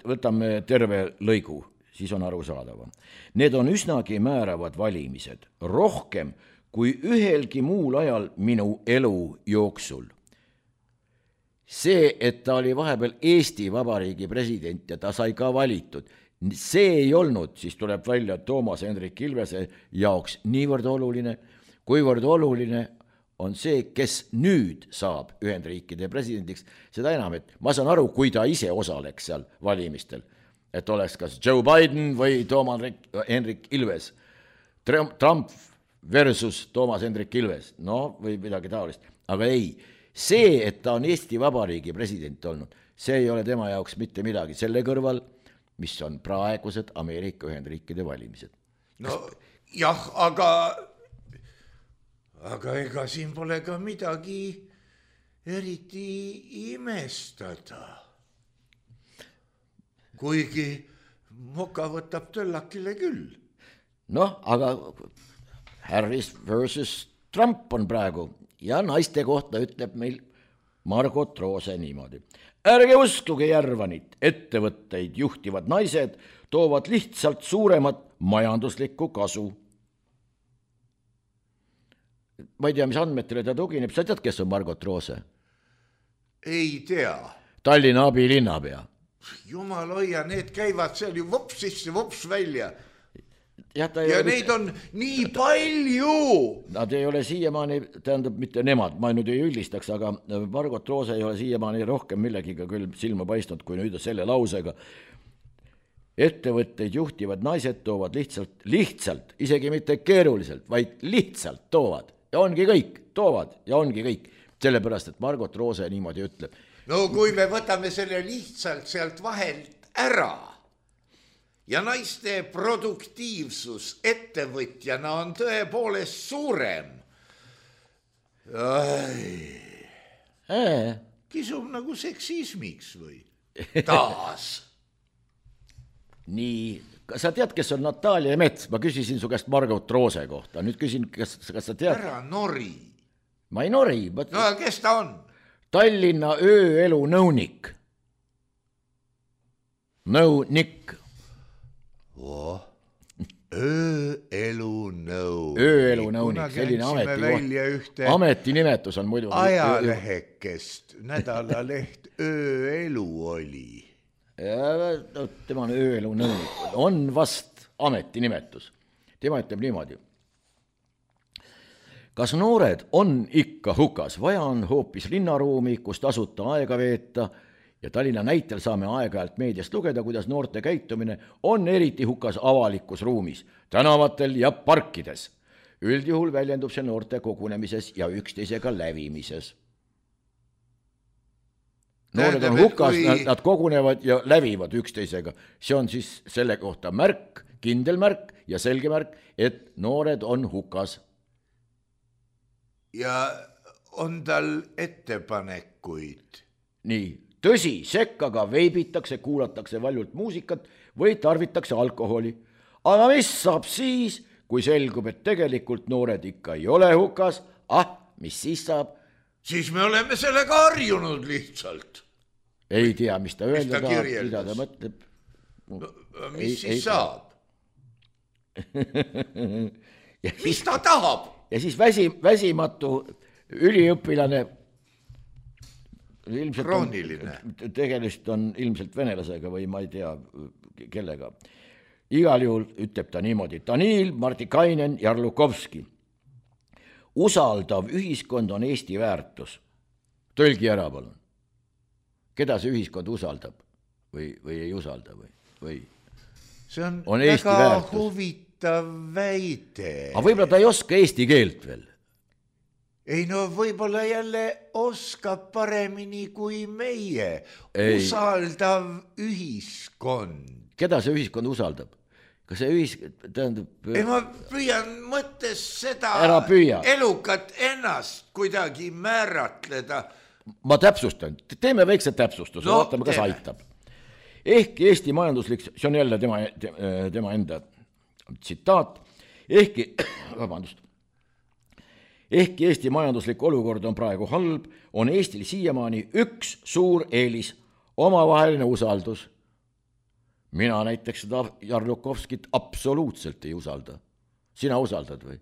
võtame terve lõigu, siis on arusaadav. Need on üsnagi määravad valimised, rohkem kui ühelgi muul ajal minu elu jooksul. See, et ta oli vahepeal Eesti Vabariigi president ja ta sai ka valitud, see ei olnud, siis tuleb välja Toomas Hendrik Ilvese jaoks niivõrd oluline, kuivõrd oluline on see, kes nüüd saab Ühendriikide presidendiks, seda enam, et ma saan aru, kui ta ise osaleks seal valimistel, et oleks kas Joe Biden või Toomas Hendrik Ilves, Trump versus Toomas Hendrik Ilves, või midagi taolist, aga ei, see, et ta on Eesti Vabariigi president olnud, see ei ole tema jaoks mitte midagi, selle kõrval mis on praegused Ameerika Ühendriikide valimised. Jah, aga ega siin pole ka midagi eriti imestada. Kuigi moka võtab töllakile küll. noh, aga Harris versus Trump on praegu ja naiste kohta ütleb meil Margot Roose niimoodi. Ärge uskuge Järvanit, ettevõtteid juhtivad naised toovad lihtsalt suuremat majanduslikku kasu. Ma ei tea, mis andmetele ta tugineb, sa tead, kes on Margot Roose? Ei tea. Tallinna abilinnapea. Jumal hoia, need käivad seal ju vops sisse, vops välja. Ja neid on nii palju. Nad ei ole siiamaani, tähendab mitte nemad, ma nüüd ei üldistaks, aga Margot Roose ei ole siiamaani rohkem millegiga küll silma paistnud, kui nüüd selle lausega. Ettevõtteid juhtivad naised toovad lihtsalt, isegi mitte keeruliselt, vaid lihtsalt toovad. Ja ongi kõik, toovad ja ongi kõik. Sellepärast, et Margot Roose niimoodi ütleb. No kui me võtame selle lihtsalt sealt vahelt ära ja naiste produktiivsus ettevõtjana on tõepoolest suurem. Kisub nagu seksismiks või? Taas. Nii, sa tead, kes on Natalia Mets? Ma küsisin su käest Margot Roose kohta. Nüüd küsin, kas sa tead? Ära nori. Ma ei nori. No kes ta on? Tallinna ööelu nõunik. Nõunik. Ööelu nõunik. Ööelu nõunik, selline ametinimetus on muidu. Ajalehekest, nädalaleht Ööelu oli. Ja, tema on ööelu nõunik. On vast ametinimetus. Tema ütleb niimoodi. Kas noored on ikka hukas? Vaja on hoopis linnaruumi, kus tasuta aega veeta ja Tallinna näitel saame aeg-ajalt meediast lugeda, kuidas noorte käitumine on eriti hukas avalikus ruumis, tänavatel ja parkides. Üldjuhul väljendub see noorte kogunemises ja üksteisega lävimises. Noored on hukas, nad kogunevad ja lävivad üksteisega. See on siis selle kohta märk, kindel märk ja selge märk, et noored on hukas. Ja on tal ettepanekuid? Nii, tõsi, sekkaga veibitakse, kuulatakse valjult muusikat või tarvitakse alkoholi. Aga mis saab siis, kui selgub, et tegelikult noored ikka ei ole hukas? Mis siis saab? Siis me oleme sellega harjunud lihtsalt. Ei tea, mis ta öelda tahab, mida ta mõtleb. Mis siis saab? Mis ta tahab? Ja siis väsimatu üliõpilane, krooniline. Tegelikult on ilmselt venelasega või ma ei tea kellega. Igal juhul ütleb ta niimoodi. Danil Martikainen Jarlukovski. Usaldav ühiskond on Eesti väärtus. Tõlgi ära, palun. Keda see ühiskond usaldab või ei usalda või? See on väga huvitav väide. Aga võib-olla ta ei oska eesti keelt veel? Ei no võib-olla jälle oskab paremini kui meie. Usaldav ühiskond. Keda see ühiskond usaldab? Kas see ühiskond tähendab... Ei, ma püüan mõttes seda elukat ennast kuidagi määratleda. Ma täpsustan, teeme väikse täpsustuse, vaatame, kas aitab. Ehkki Eesti majanduslik, see on jälle tema enda tsitaat, ehkki Eesti majanduslik olukord on praegu halb, on Eestil siiamaani üks suur eelis, omavaheline usaldus. Mina näiteks seda Jarlukovskit absoluutselt ei usalda. Sina usaldad või?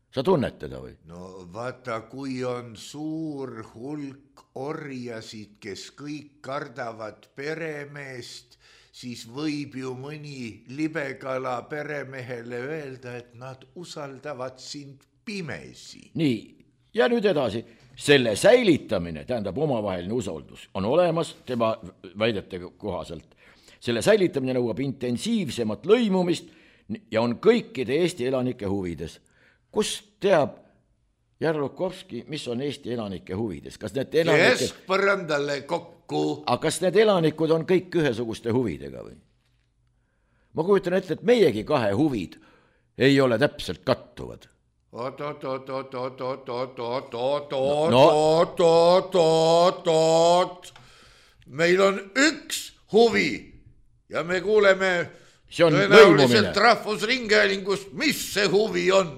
Sa tunned teda või? No vaata, kui on suur hulk orjasid, kes kõik kardavad peremeest, siis võib ju mõni libekala peremehele öelda, et nad usaldavad sind pimesi. Nii, ja nüüd edasi. Selle säilitamine, tähendab omavaheline usaldus, on olemas tema väidete kohaselt. Selle säilitamine nõuab intensiivsemat lõimumist ja on kõikide Eesti elanike huvides. Kus teab Jarlukovski, mis on Eesti elanike huvides? Kes põrandale kokku? Aga kas need elanikud on kõik ühesuguste huvidega või? Ma kujutan ette, et meiegi kahe huvid ei ole täpselt kattuvad. Meil on üks huvi ja me kuuleme see on tõenäoliselt lõimumine. Rahvusringhäälingust, mis see huvi on?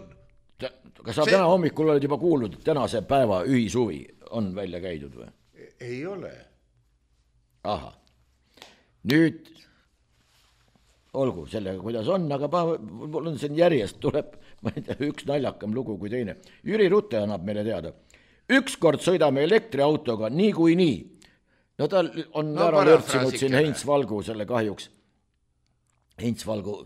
Kas sa täna hommikul oled juba kuulnud, et tänase päeva ühishuvi on välja käidud või? Ei ole. Aha. Nüüd olgu sellega, kuidas on, aga mul on siin järjest tuleb, ma ei tea, üks naljakam lugu kui teine. Jüri Rutte annab meile teada. Ükskord sõidame elektriautoga nii. No ta on ära lörtsinud siin Heinz Valgu selle kahjuks. Heinz Valgu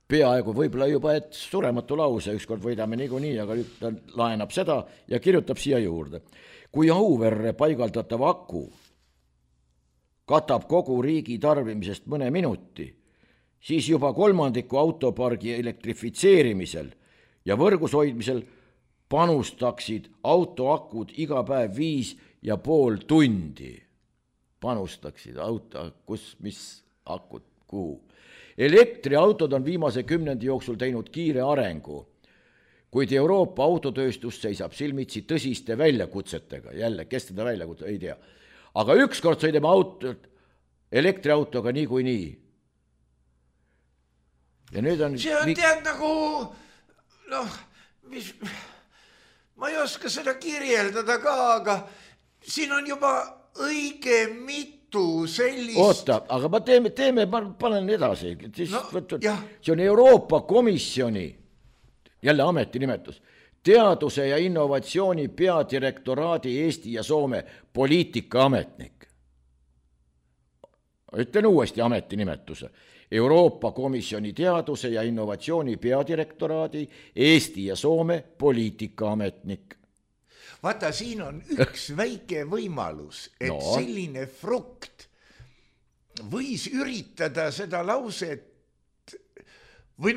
peaaegu võib-olla juba, et surematu lause, ükskord võidame nii, aga nüüd ta laenab seda ja kirjutab siia juurde. Kui Auverre paigaldatav aku katab kogu riigi tarbimisest mõne minuti, siis juba 1/3 autopargi elektrifitseerimisel ja võrgus hoidmisel panustaksid autoakud iga päev 5,5 tundi. Panustaksid kus, mis akud, kuhu. Elektriautod on viimase 10 jooksul teinud kiire arengu, kuid Euroopa autotööstus seisab silmitsi tõsiste väljakutsetega. Jälle, kes teda väljakutse, ei tea. Aga ükskord sõidame elektriautoga nii. Ja nüüd on... See on tead nagu, ma ei oska seda kirjeldada ka, aga siin on juba õige mitu sellist... Oota, aga ma panen edasi. See on Euroopa Komisjoni, jälle ametinimetus, teaduse ja innovatsiooni peadirektoraadi Eesti ja Soome poliitikaametnik. Ütlen uuesti ametinimetuse. Euroopa Komisjoni teaduse ja innovatsiooni peadirektoraadi Eesti ja Soome poliitikaametnik. Vaata, siin on üks väike võimalus, et selline frukt võis üritada seda lauset või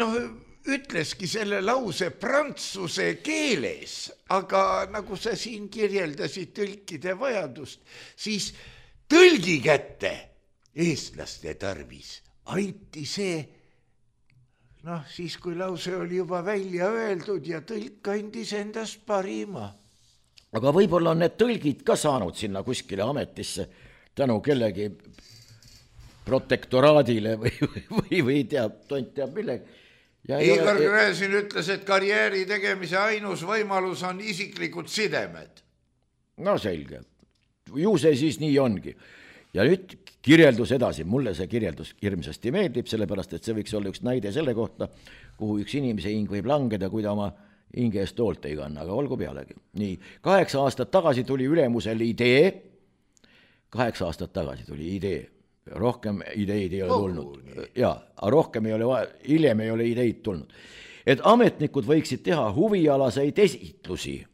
ütleski selle lause prantsuse keeles, aga nagu sa siin kirjeldasid tõlkide vajadust, siis tõlgi kätte eestlaste tarvis anti see, siis kui lause oli juba välja öeldud ja tõlk andis endast parima. Aga võib-olla on need tõlgid ka saanud sinna kuskile ametisse tänu kellegi protektoraadile või tont teab millega. Igor Gräzin ütles, et karjääri tegemise ainus võimalus on isiklikud sidemed. No selge. Ju see siis nii ongi. Ja nüüd kirjeldus edasi. Mulle see kirjeldus hirmsasti meeldib, sellepärast, et see võiks olla üks näide selle kohta, kuhu üks inimese hing võib langeda, kui ta oma hinge eest toolt ei kanna, aga olgu pealegi. Nii, 8 aastat tagasi tuli ülemusel idee. 8 aastat tagasi tuli idee. Rohkem ideid ei ole tulnud. Jaa, rohkem ei ole vaja, hiljem ei ole ideid tulnud. Et ametnikud võiksid teha huvialaseid esitlusi.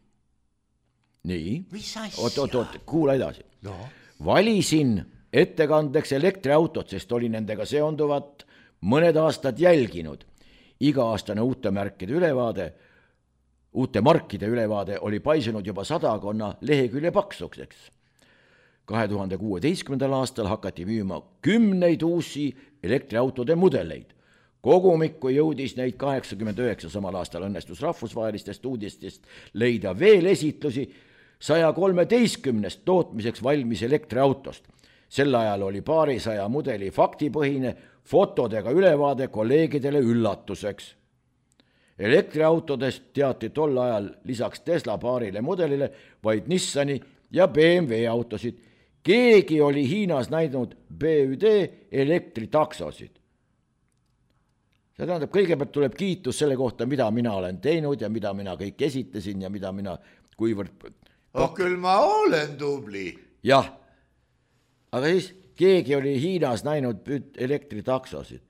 Nii. Mis asja? Kuula edasi. Valisin ettekandeks elektriautot, sest oli nendega seonduvat mõned aastad jälginud. Iga-aastane uute markide ülevaade oli paisunud juba 100 lehekülje paksukseks. 2016. aastal hakati müüma 10 uusi elektriautode mudeleid. Kogumikku jõudis neid 89, samal aastal õnnestus rahvusvahelistest uudistest leida veel esitlusi 113 tootmiseks valmis elektriautost. Sel ajal oli paarisaja mudeli faktipõhine fotodega ülevaade kolleegidele üllatuseks. Elektriautodest teati tol ajal lisaks Tesla paarile mudelile vaid Nissani ja BMW autosid. Keegi oli Hiinas näinud BÜD elektritaksosid. See tähendab, kõigepealt tuleb kiitus selle kohta, mida mina olen teinud ja mida mina kõik esitasin ja mida mina kuivõrd... Küll ma olen tubli. Jah, aga siis keegi oli Hiinas näinud elektritaksosid.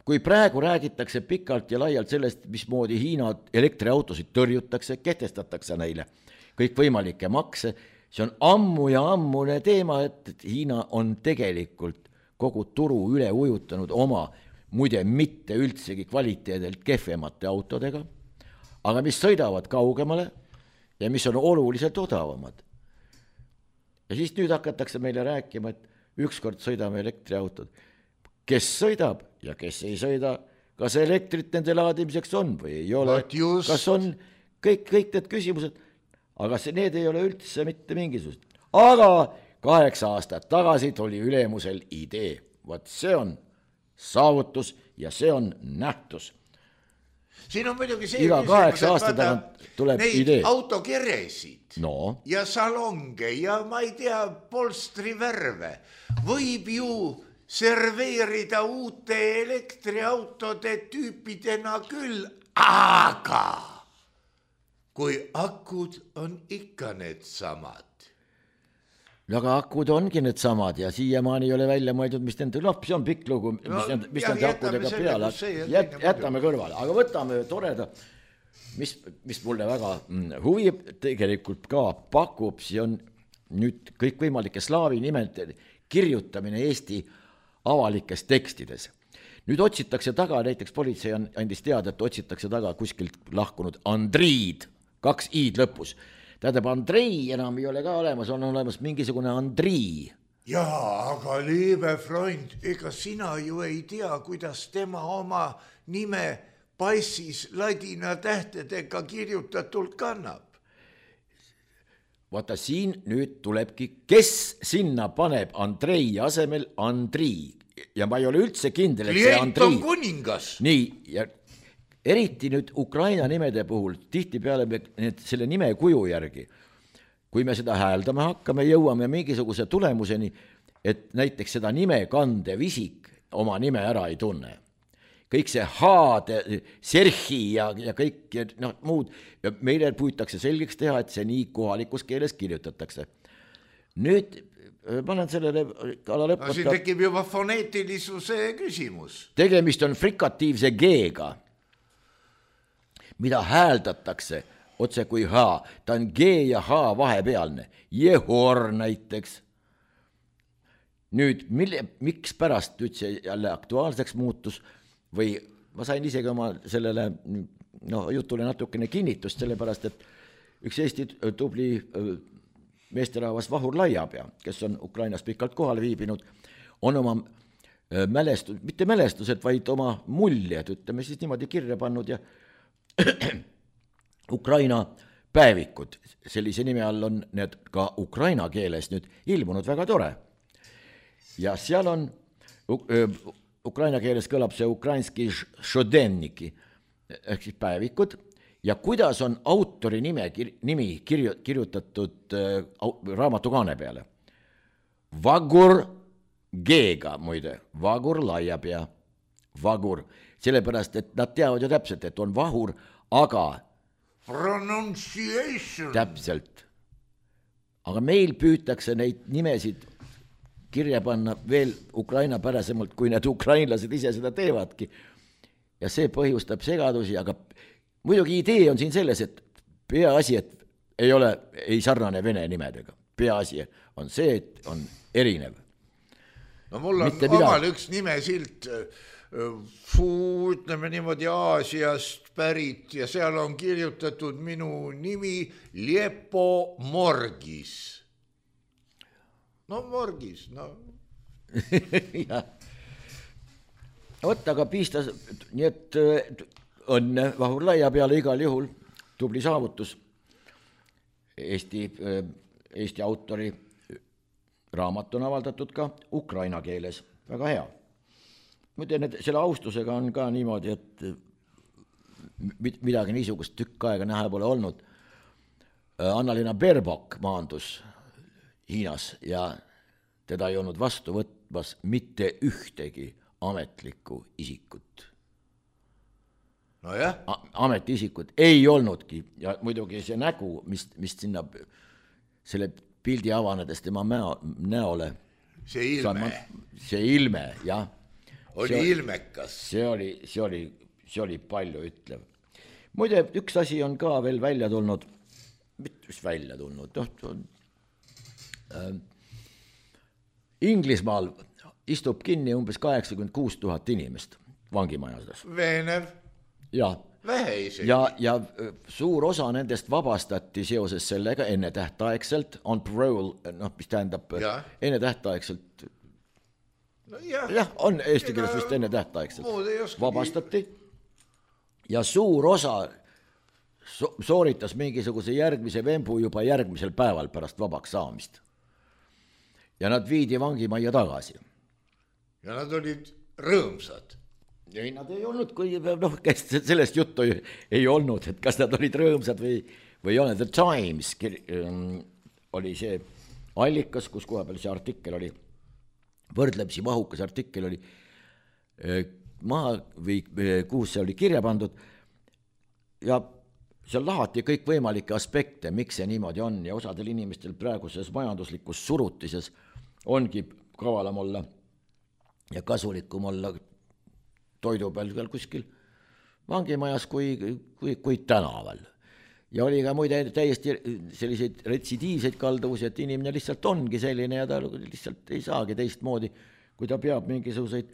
Kui praegu räägitakse pikalt ja laialt sellest, mismoodi Hiina elektriautosid tõrjutakse, kehtestatakse neile kõik võimalikke makse, see on ammu ja ammune teema, et Hiina on tegelikult kogu turu üle ujutanud oma, muide mitte üldsegi kvaliteedelt kehvemate autodega, aga mis sõidavad kaugemale ja mis on oluliselt odavamad. Ja siis nüüd hakatakse meile rääkima, et ükskord sõidame elektriautod. Kes sõidab ja kes ei sõida, kas elektrit nende laadimiseks on või ei ole, kas on kõik need küsimused, aga need ei ole üldse mitte mingisugused. Aga 8 aastat tagasi tuli ülemusel idee. Vaat see on saavutus ja see on nähtus. Siin on muidugi see iga 8 aasta tagant tuleb idee. Autokeresid no. ja salonge ja ma ei tea, polstrivärve võib ju serveerida uute elektriautode tüüpidena küll, aga kui akud on ikka need samad. Aga akud ongi need samad ja siiamaani ei ole välja mõeldud, mis nende lapsi on pikk lugu, mis nende akudega peale. Jätame kõrvale, aga võtame toreda, mis mulle väga huvi tegelikult ka pakub, see on nüüd kõikvõimalike slaavi nimede kirjutamine Eesti avalikes tekstides. Nüüd otsitakse taga, näiteks politsei andis teada, et otsitakse taga kuskilt lahkunud Andriid, 2 i-d lõpus. Tähendab, Andrei enam ei ole ka olemas, on olemas mingisugune Andrii. Jaa, aga liebe Freund, ega sina ju ei tea, kuidas tema oma nime passis ladina tähtedega kirjutatult kannab. Vaata, siin nüüd tulebki, kes sinna paneb Andrei asemel Andrii. Ja ma ei ole üldse kindel, et see Andrii. Klient on kuningas. Nii, ja eriti nüüd Ukraina nimede puhul, tihtipeale me selle nime kuju järgi, kui me seda hääldama hakkame, jõuame mingisuguse tulemuseni, et näiteks seda nime kandev isik oma nime ära ei tunne. Kõik see haade, serhi ja kõik muud, meile püütakse selgeks teha, et see nii kohalikus keeles kirjutatakse. Nüüd panen sellele ala lõpata. Siin tekib juba foneetilisuse küsimus. Tegemist on frikatiivse G-ga, mida hääldatakse otse kui H. Ta on G ja H vahepealne. Jehor näiteks. Nüüd, miks pärast üldse jälle aktuaalseks muutus või ma sain isegi oma sellele jutule natukene kinnitust, sellepärast, et üks Eesti tubli meesterahvas Vahur Laiapea, kes on Ukrainas pikalt kohal viibinud, on oma mitte mälestused, vaid oma muljed, ütleme siis niimoodi kirja pannud ja Ukraina päevikud, sellise nime all on need ka Ukraina keeles nüüd ilmunud, väga tore. Ja seal on, Ukraina keeles kõlab see ukrainski šodenniki, ehk siis päevikud, ja kuidas on autori nimi kirjutatud raamatukaane peale. Vagur G-ga, muide, Vagur Laiapea, Vagur, sellepärast, et nad teavad ju täpselt, et on Vahur, aga pronunciation. Täpselt. Aga meil püütakse neid nimesid kirja panna veel Ukraina pärasemalt, kui need ukrainlased ise seda teevadki. Ja see põhjustab segadusi, aga muidugi idee on siin selles, et peaasi, et ei sarnane vene nimedega. Peaasi on see, et on erinev. No mul on omal üks nimesilt, ütleme niimoodi Aasiast pärit ja seal on kirjutatud minu nimi Liepo Morgis. No Morgis, no. Ja. Võtta aga piistas, nii et õnne Vahur Laiapeale igal juhul, tubli saavutus. Eesti autori raamat on avaldatud ka ukraina keeles, väga hea. Mõtlen, et selle austusega on ka niimoodi, et midagi niisugust tükk aega näha pole olnud. Anna-Liina Berbok maandus Hiinas ja teda ei olnud vastu võtmas mitte ühtegi ametlikku isikut. No jah. Ametiisikud ei olnudki ja muidugi see nägu, mis sinna selle pildi avanedes tema näole. See ilme, jah. Oli ilmekas. See oli palju ütlev. Muide, üks asi on ka veel välja tulnud, mis välja tulnud, Inglismaal istub kinni umbes 86 000 inimest vangimajades. Veenev. Ja, vähe isegi. Ja suur osa nendest vabastati seoses sellega enne tähtaegselt, on parole, mis tähendab enne tähtaegselt. No jah, on eesti keeles vist enne tähtaegselt. Vabastati ja suur osa sooritas mingisuguse järgmise vembu juba järgmisel päeval pärast vabaks saamist. Ja nad viidi vangimajja tagasi. Ja nad olid rõõmsad? ei, nad ei olnud, kui kes sellest juttu ei olnud, et kas nad olid rõõmsad või ei ole. The Times oli see allikas, kus koha peal see artikkel oli, võrdlemisi mahukas artikkel oli maha või kuhu see oli kirja pandud ja seal lahati kõikvõimalikke aspekte, miks see niimoodi on ja osadel inimestel praeguses majanduslikus surutises ongi kavalam olla ja kasulikum olla toidu peal veel kuskil vangimajas kui tänaval. Ja oli ka muide täiesti selliseid retsidiivseid kalduvusi, et inimene lihtsalt ongi selline ja ta lihtsalt ei saagi teistmoodi, kui ta peab mingisuguseid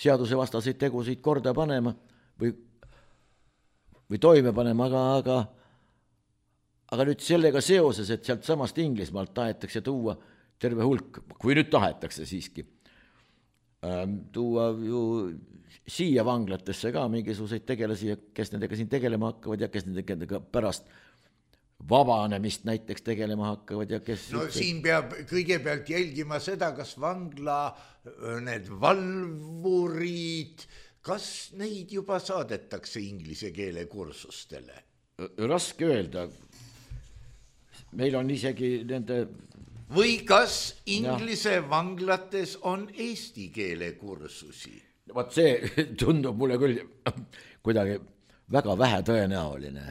seadusevastaseid tegusid korda panema või toime panema, aga nüüd sellega seoses, et sealt samast Inglismaalt tahetakse tuua terve hulk, kui nüüd tahetakse siiski, tuua ju siia vanglatesse ka mingisuguseid tegelasi, kes nendega siin tegelema hakkavad ja kes nendega pärast vabanemist näiteks tegelema hakkavad ja kes... No siin peab kõigepealt jälgima seda, kas vangla, need valvurid, kas neid juba saadetakse inglise keele kursustele? Raske öelda. Meil on isegi nende... Või kas inglise vanglates on eesti keele kursusi? Vaat see tundub mulle küll kuidagi väga vähe tõenäoline.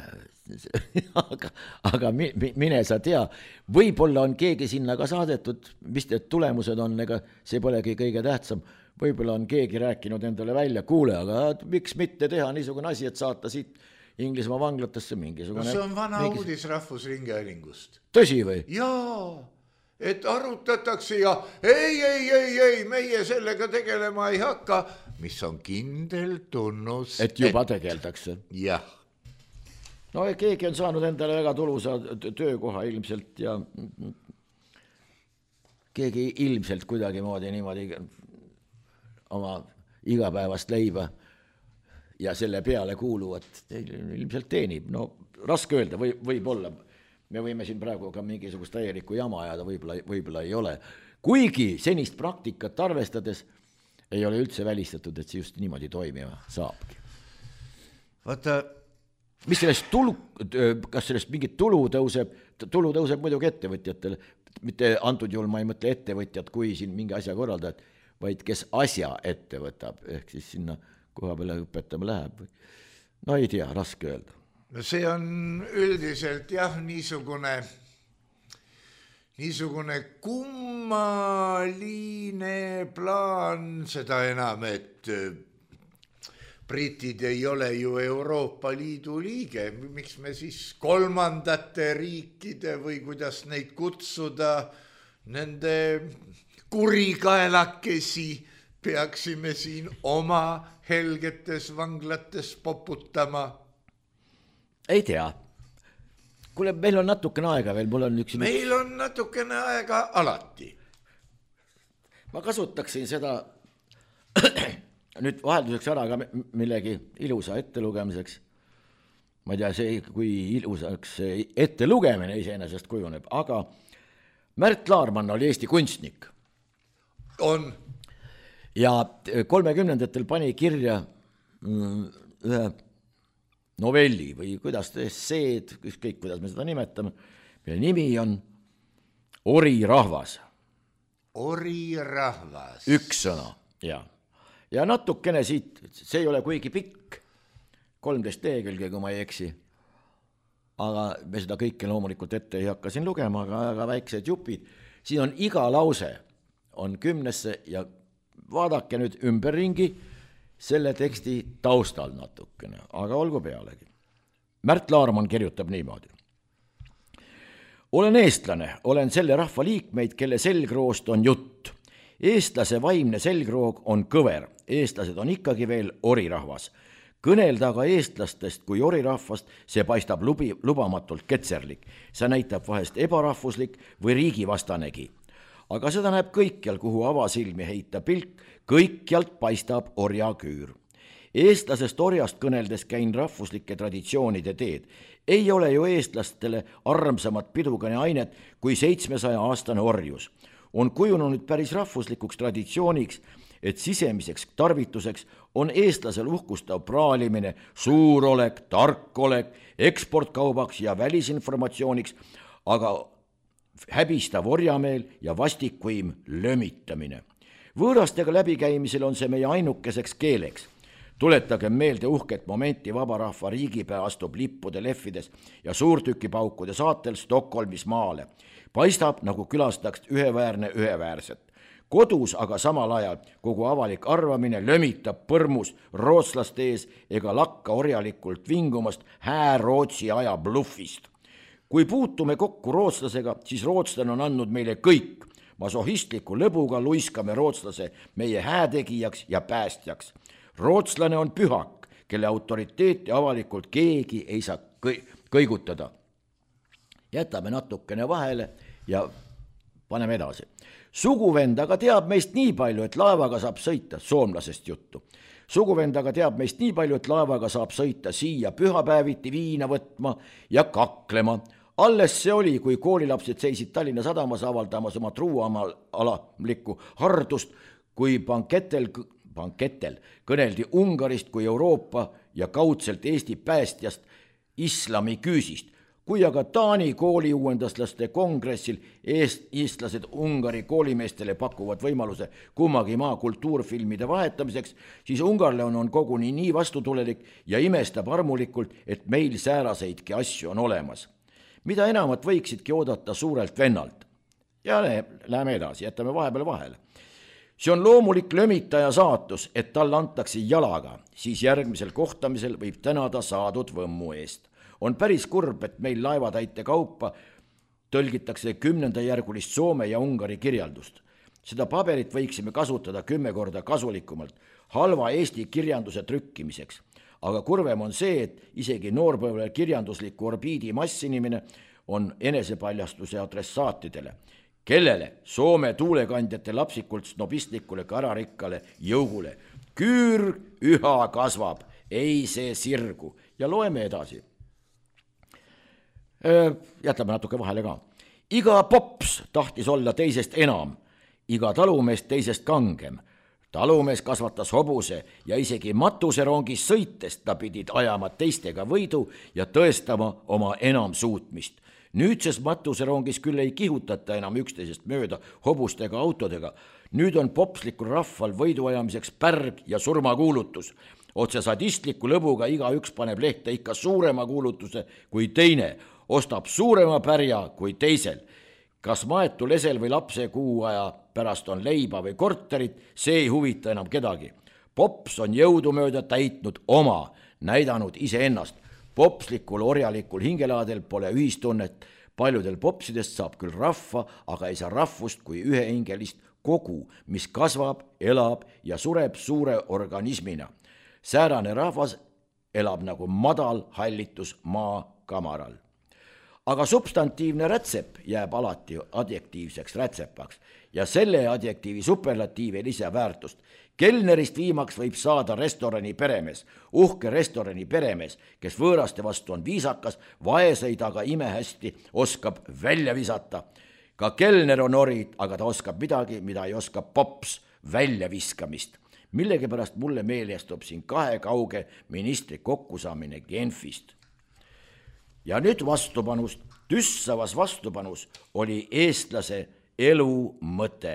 aga mine sa tea, võib-olla on keegi sinna ka saadetud, mis need tulemused on, ega see polegi kõige tähtsam. Võib-olla on keegi rääkinud endale välja, kuule, aga miks mitte teha niisugune asi, et saata siit Inglismaa vanglatesse mingisugune... No see on vana uudis Rahvusringhäälingust. Tõsi või? Jaa, et arutatakse ja ei, meie sellega tegelema ei hakka, mis on kindel tunnus. Et juba tegeldakse. Jah. No keegi on saanud endale väga tulusa töökoha ilmselt ja keegi ilmselt kuidagi moodi niimoodi oma igapäevast leiba ja selle peale kuuluvat ilmselt teenib. No raske öelda, võib-olla. Me võime siin praegu ka mingisugust täielikku jama ajada, võib-olla ei ole. Kuigi senist praktikat arvestades ei ole üldse välistatud, et see just niimoodi toimima saabki. Vaata... Mis sellest kas sellest mingit tulu tõuseb muidugi ettevõtjatele, mitte antud juhul ma ei mõtle ettevõtjad, kui siin mingi asja korraldajad, vaid kes asja ette võtab, ehk siis sinna koha peale õpetama läheb. No ei tea, raske öelda. No see on üldiselt jah, niisugune kummaline plaan, seda enam, et britid ei ole ju Euroopa Liidu liige, miks me siis kolmandate riikide või kuidas neid kutsuda, nende kurikaelakesi peaksime siin oma helgetes vanglates poputama? Ei tea. Kuule, meil on natukene aega veel, Meil on natukene aega alati. Ma kasutaksin seda nüüd vahelduseks ära ka millegi ilusa ettelugemiseks. Ma ei tea, kui ilusaks ettelugemine iseenesest kujuneb, aga Märt Laarmann oli Eesti kunstnik. On. Ja 30-ndatel pani kirja ühe novelli või kuidas esseed, ükskõik kuidas me seda nimetame, mille nimi on Ori rahvas. Ori rahvas. Üks sõna, jah. Ja natukene siit, see ei ole kuigi pikk, 13 lehekülge, kui ma ei eksi, aga me seda kõike loomulikult ette ei hakka siin lugema, aga väiksed jupid. Siin on iga lause, on 10 ja vaadake nüüd ümberringi selle teksti taustal natukene, aga olgu pealegi. Märt Laarmann kirjutab niimoodi. Olen eestlane, olen selle rahva liikmeid, kelle selgroost on jutt. Eestlase vaimne selgroog on kõver, eestlased on ikkagi veel orirahvas. Kõnelda aga eestlastest kui orirahvast, see paistab lubamatult ketserlik. See näitab vahest ebarahvuslik või riigivastanegi. Aga seda näeb kõikjal, kuhu avasilmi heita pilk, kõikjalt paistab orjaküür. Eestlasest orjast kõneldes käin rahvuslike traditsioonide teed. Ei ole ju eestlastele armsamat pidugane ainet kui 700-aastane orjus. On kujunud päris rahvuslikuks traditsiooniks, et sisemiseks tarvituseks on eestlasel uhkustav praalimine, suurolek, tarkolek, eksportkaubaks ja välisinformatsiooniks, aga häbistav orjameel ja vastikvõim lömitamine. Võõrastega läbikäimisel on see meie ainukeseks keeleks. Tuletagem meelde uhket momenti vabarahva riigipea astub lippude lehvides ja suurtükipaukude saatel Stockholmis maale. Paistab, nagu külastaks üheväärset. Kodus aga samal ajal kogu avalik arvamine lömitab põrmus rootslaste ees ega lakka orjalikult vingumast Rootsi aja bluffist. Kui puutume kokku rootslasega, siis rootslane on andnud meile kõik. Masohistliku lõbuga luiskame rootslase meie häätegijaks ja päästjaks. Rootslane on pühak, kelle autoriteeti avalikult keegi ei saa kõigutada. Jätame natukene vahele ja paneme edasi. Suguvend aga teab meist nii palju, et laevaga saab sõita, soomlasest juttu. Suguvend aga teab meist nii palju, et laevaga saab sõita siia pühapäeviti viina võtma ja kaklema. Alles see oli, kui koolilapsed seisid Tallinna sadamas avaldamas oma truuamalikku hardust, kui banketel kõneldi Ungarist kui Euroopa ja kaudselt Eesti päästjast islami küüsist. Kui aga Taani kooliuuendaslaste kongressil eestlased Ungari koolimeestele pakuvad võimaluse kummagi maa kultuurfilmide vahetamiseks, siis ungarlane on koguni nii vastutulelik ja imestab armulikult, et meil sääraseidki asju on olemas. Mida enamat võiksidki oodata suurelt vennalt. Ja läheme edasi, jätame vahepeal vahele. See on loomulik lömitaja saatus, et tal antakse jalaga, siis järgmisel kohtamisel võib tänada saadud võmmu eest. On päris kurb, et meil laevatäite kaupa tõlgitakse 10. järgulist Soome ja Ungari kirjandust. Seda paberit võiksime kasutada 10 korda kasulikumalt halva Eesti kirjanduse trükkimiseks. Aga kurvem on see, et isegi noorpõlve kirjandusliku orbiidi massinimine on enesepaljastuse adressaatidele, kellele Soome tuulekandjate lapsikult snobistlikule kararikkale jõugule. Küür üha kasvab, ei see sirgu. Ja loeme edasi. Jätame natuke vahele ka. Iga pops tahtis olla teisest enam, iga talumees teisest kangem. Talumees kasvatas hobuse ja isegi matuserongis sõites ta pidid ajama teistega võidu ja tõestama oma enam suutmist. Nüüdses matuserongis küll ei kihutata enam üksteisest mööda hobustega autodega. Nüüd on popslikul rahval võiduajamiseks pärg ja surmakuulutus. Otse sadistliku lõbuga igaüks paneb lehte ikka suurema kuulutuse kui teine, ostab suurema pärja kui teisel. Kas maetu lesel või lapse kuu aja pärast on leiba või korterit, see ei huvita enam kedagi. Pops on jõudumööda täitnud oma, näidanud iseennast. Popslikul orjalikul hingelaadel pole ühistunnet. Paljudel popsidest saab küll rahva, aga ei saa rahvust kui ühehingelist kogu, mis kasvab, elab ja sureb suure organismina. Säärane rahvas elab nagu madal hallitus maa kamaral. Aga substantiivne rätsep jääb alati adjektiivseks rätsepaks ja selle adjektiivi superlatiiv ei lisa väärtust. Kelnerist viimaks võib saada restorani peremees, uhke restorani peremees, kes võõraste vastu on viisakas, vaeseid aga imehästi oskab välja visata. Ka kelner on orid, aga ta oskab midagi, mida ei oska pops, välja viskamist. Millegipärast mulle meelestub siin 2 kauge ministri kokkusaamine Genfist. Ja nüüd vastupanust. Tüssavas vastupanus oli eestlase elu mõte.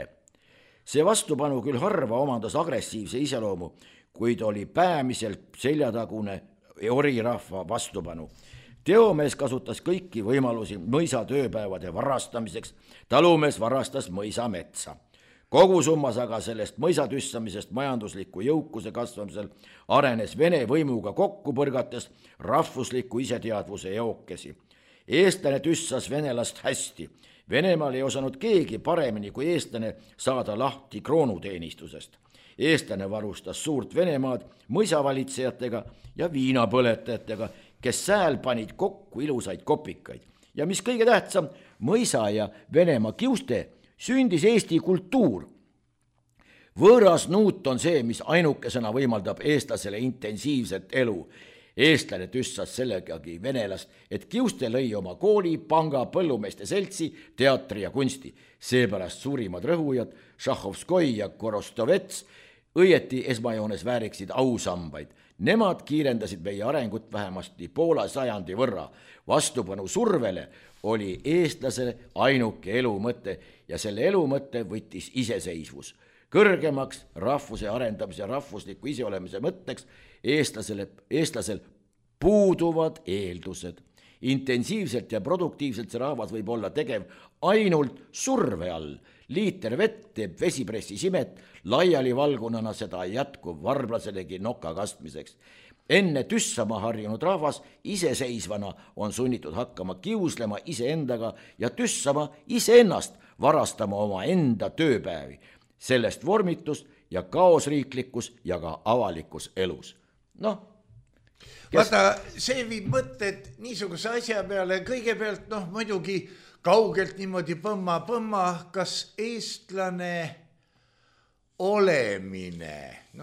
See vastupanu küll harva omandas agressiivse iseloomu, kuid oli päämiselt seljatagune orirahva vastupanu. Teomees kasutas kõiki võimalusi mõisa tööpäevade varastamiseks, talumees varastas mõisa metsa. Kogusummas aga sellest mõisatüssamisest majandusliku jõukuse kasvamisel arenes Vene võimuga kokku põrgates rahvusliku iseteadvuse eokesi. Eestlane tüssas venelast hästi. Venemaal ei osanud keegi paremini kui eestlane saada lahti kroonuteenistusest. Eestlane varustas suurt Venemaad mõisavalitsejatega ja viinapõletajatega, kes sääl panid kokku ilusaid kopikaid. Ja mis kõige tähtsam, mõisa ja Venemaa kiuste sündis Eesti kultuur. Võõras nuut on see, mis ainukesena võimaldab eestlasele intensiivset elu. Eestlane tüssas sellegagi venelast, et kiuste lõi oma kooli, panga, põllumeeste seltsi, teatri ja kunsti. Seepärast suurimad rõhujad, Šahhovskoi ja Korostovets, õieti esmajoones vääriksid ausambaid. Nemad kiirendasid meie arengut vähemasti poole sajandi võrra. Vastupanu survele oli eestlase ainuke elumõte ja selle elumõte võttis iseseisvus. Kõrgemaks rahvuse arendamise ja rahvusliku iseolemise mõtteks eestlasel puuduvad eeldused. Intensiivselt ja produktiivselt see rahvas võib olla tegev ainult surve all. Liiter vett teeb vesipressi simet, laiali valgunana seda jätkub varblaselegi noka kastmiseks. Enne tüssama harjunud rahvas iseseisvana on sunnitud hakkama kiuslema iseendaga ja tüssama iseennast, varastama oma enda tööpäevi. Sellest vormitus ja kaosriiklikkus ja ka avalikus elus. Vaata, see viib mõtted niisuguse asja peale, kõigepealt muidugi kaugelt niimoodi põmma, kas eestlane olemine,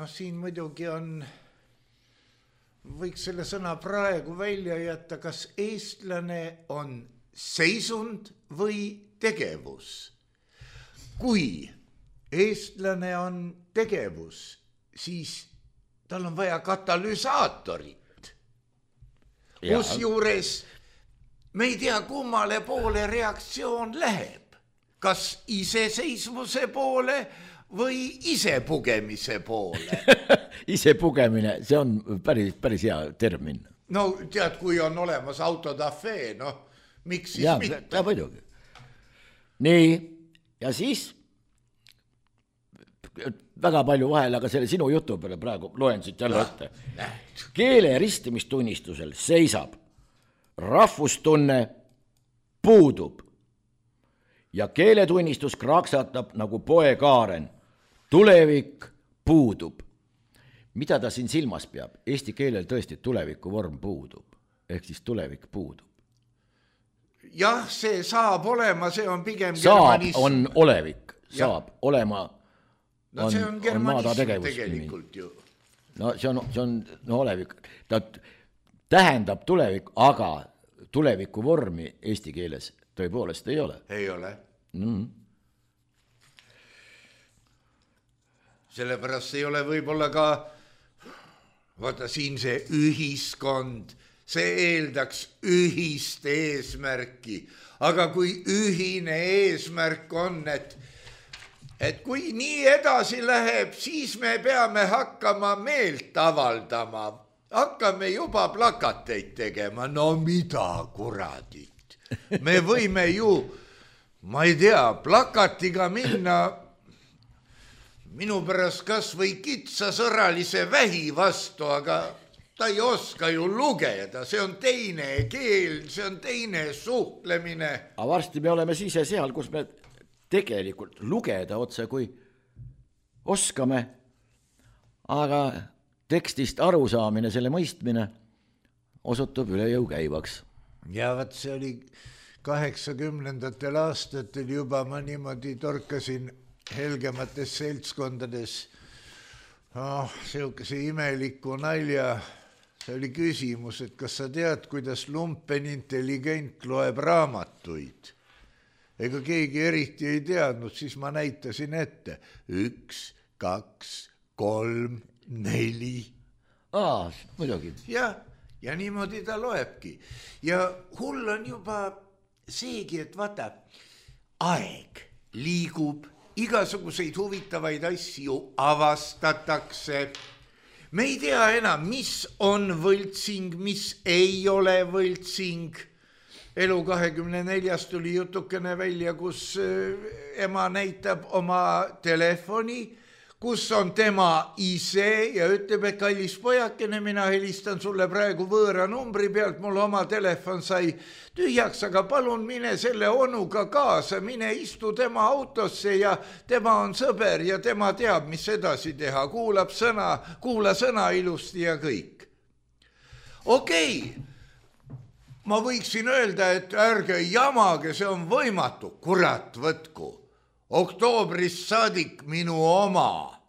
siin muidugi on, võiks selle sõna praegu välja jätta, kas eestlane on seisund või tegevus. Kui eestlane on tegevus, siis tal on vaja katalüsaatorit. Kus juures me ei tea, kummale poole reaktsioon läheb. Kas iseseisvuse poole või isepugemise poole? Isepugemine, see on päris hea termin. No tead, kui on olemas autodafee, miks siis mitte? Ja muidugi. Nii, ja siis väga palju vahel, aga selle sinu jutu peale praegu loen siit jälle ette. Keele ristimistunnistusel seisab, rahvustunne puudub ja keeletunnistus kraksatab nagu poekaaren. Tulevik puudub. Mida ta siin silmas peab? Eesti keelel tõesti tuleviku vorm puudub, ehk siis tulevik puudub. Jah, see saab olema, see on pigem germanism. Saab on olevik, saab olema. See on germanism tegelikult ju. See on olevik. Ta tähendab tulevik, aga tuleviku vormi eesti keeles tõepoolest ei ole. Ei ole. Sellepärast ei ole võib-olla ka, vaata siin see ühiskond, see eeldaks ühist eesmärki. Aga kui ühine eesmärk on, et kui nii edasi läheb, siis me peame hakkama meelt avaldama. Hakkame juba plakateid tegema. No mida kuradit? Me võime ju, ma ei tea, plakatiga minna minu pärast kas või kitsasõralise vähi vastu, aga ta ei oska ju lugeda. See on teine keel, see on teine suhtlemine. Aga varsti me oleme siis seal, kus me tegelikult lugeda otse kui oskame, aga tekstist arusaamine, selle mõistmine osutub üle jõu käivaks. Ja vaat see oli 80. aastatel juba, ma niimoodi torkasin helgemates seltskondades sihukese imeliku nalja. See oli küsimus, et kas sa tead, kuidas lumpen intelligent loeb raamatuid? Ega keegi eriti ei teadnud, siis ma näitasin ette 1, 2, 3, 4. Muidugi. Ja niimoodi ta loebki. Ja hull on juba seegi, et vaata, aeg liigub, igasuguseid huvitavaid asju avastatakse. Me ei tea enam, mis on võltsing, mis ei ole võltsing. Elu 24 tuli jutukene välja, kus ema näitab oma telefoni, kus on tema ise ja ütleb, et kallis pojakene, mina helistan sulle praegu võõra numbri pealt, mul oma telefon sai tühjaks, aga palun mine selle onuga kaasa, mine istu tema autosse ja tema on sõber ja tema teab, mis edasi teha, kuula sõna ilusti ja kõik. Okei. Ma võiksin öelda, et ärge jamage, see on võimatu. Kurat, võtku. Oktoobrist saadik minu oma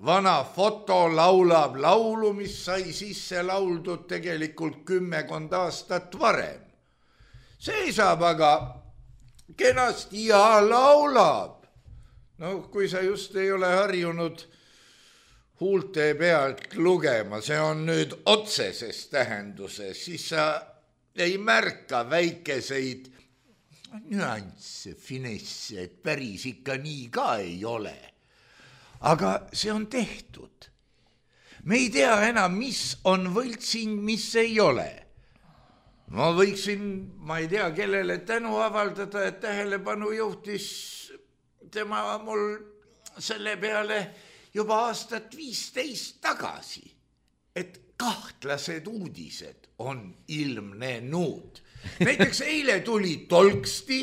vana foto laulab laulu, mis sai sisse lauldud tegelikult 10 aastat varem. Seisab aga kenasti ja laulab. No kui sa just ei ole harjunud huulte pealt lugema, see on nüüd otseses tähenduses, siis sa ei märka väikeseid nüansse, finesse, et päris ikka nii ka ei ole. Aga see on tehtud. Me ei tea enam, mis on võltsing, mis ei ole. Ma võiksin, ma ei tea, kellele tänu avaldada, et tähelepanu juhtis tema mul selle peale juba aastat 15 tagasi, et kahtlased uudised on ilmnenud. Näiteks eile tuli Tolksti,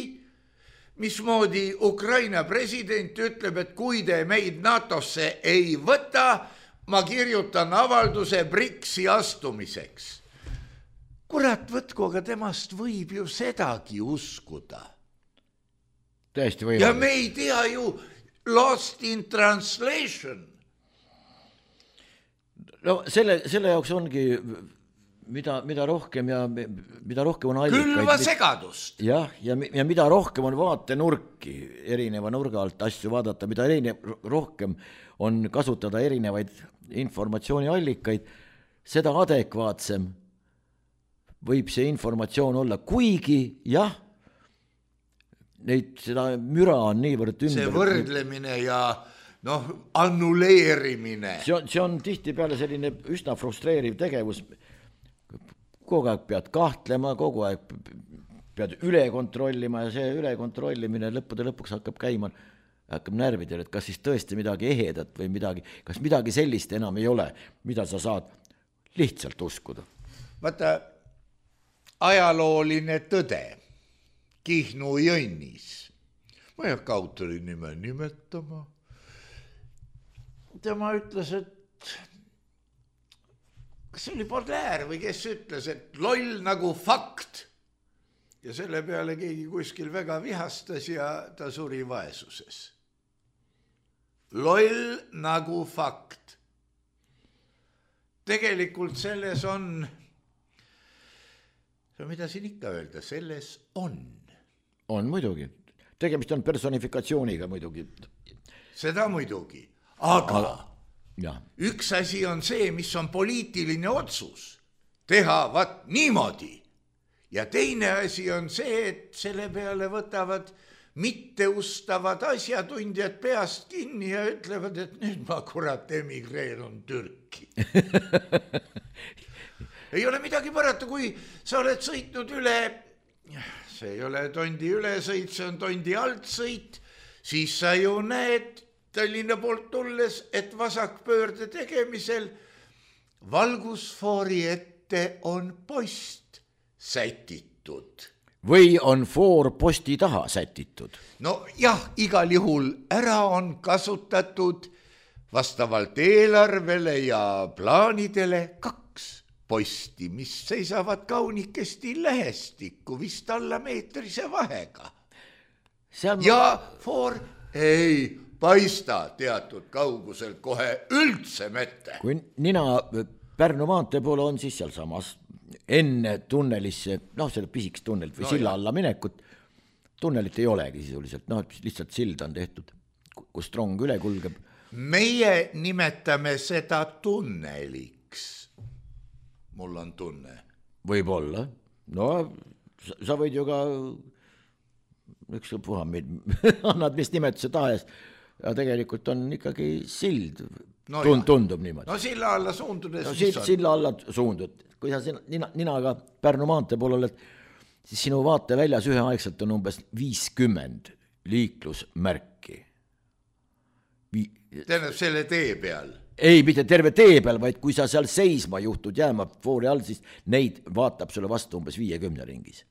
mismoodi Ukraina president ütleb, et kui te meid NATOsse ei võta, ma kirjutan avalduse BRICS-i astumiseks. Kurat võtku, aga temast võib ju sedagi uskuda. Tõesti võimalik. Ja me ei tea ju lost in translation. No selle jaoks ongi, mida rohkem ja mida rohkem on allikaid. Külva segadust. Jah, ja mida rohkem on vaatenurki erineva nurga alt asju vaadata, mida rohkem on kasutada erinevaid informatsiooniallikaid, seda adekvaatsem võib see informatsioon olla, kuigi jah, seda müra on niivõrd ümber. See võrdlemine ja annuleerimine. See on tihtipeale selline üsna frustreeriv tegevus. Kogu aeg pead kahtlema, kogu aeg pead üle kontrollima ja see üle kontrollimine lõppude lõpuks hakkab närvidel, et kas siis tõesti midagi ehedat või kas midagi sellist enam ei ole, mida sa saad lihtsalt uskuda. Vaata, ajalooline tõde Kihnu Jõnnis. Ma ei hakka autori nime nimetama. Tema ütles, et kas see oli Baudelaire või kes ütles, et loll nagu fakt. Ja selle peale keegi kuskil väga vihastas ja ta suri vaesuses. Loll nagu fakt. Tegelikult selles on, mida siin ikka öelda, selles on. On muidugi. Tegemist on personifikatsiooniga muidugi. Seda muidugi. Aga ja. Üks asi on see, mis on poliitiline otsus. Teha vat niimoodi. Ja teine asi on see, et selle peale võtavad mitteustavad asjatundjad peast kinni ja ütlevad, et nüüd ma kurat emigreerun Türki. Ei ole midagi parata, kui sa oled sõitnud üle, see ei ole Tondi ülesõit, see on Tondi altsõit, siis sa ju näed Tallinna poolt tulles, et vasakpöörde tegemisel valgusfoori ette on post sätitud. Või on foor posti taha sätitud? No jah, igal juhul ära on kasutatud vastavalt eelarvele ja plaanidele 2 posti, mis seisavad kaunikesti lähestikku, vist alla meetrise vahega. Ja foor ei paista teatud kauguselt kohe üldse mette. Kui nina Pärnu maantee poole on, siis seal samas enne tunnelisse, selle pisikest tunnelit või silla alla minekut, tunnelit ei olegi sisuliselt, lihtsalt sild on tehtud, kus rong üle kulgeb. Meie nimetame seda tunneliks. Mul on tunne. Võib-olla. Sa võid ju ka puha meid annad mis nimetuse tahes, ja tegelikult on ikkagi sild. Tundub niimoodi. No silla alla suundudes. Silla alla suundud. Kui sa ninaga Pärnu maantee pool oled, siis sinu vaate väljas üheaegselt on umbes 50 liiklusmärki. Tähendab selle tee peal? Ei, mitte terve tee peal, vaid kui sa seal seisma juhtud jääma foori all, siis neid vaatab sulle vastu umbes 50 ringis.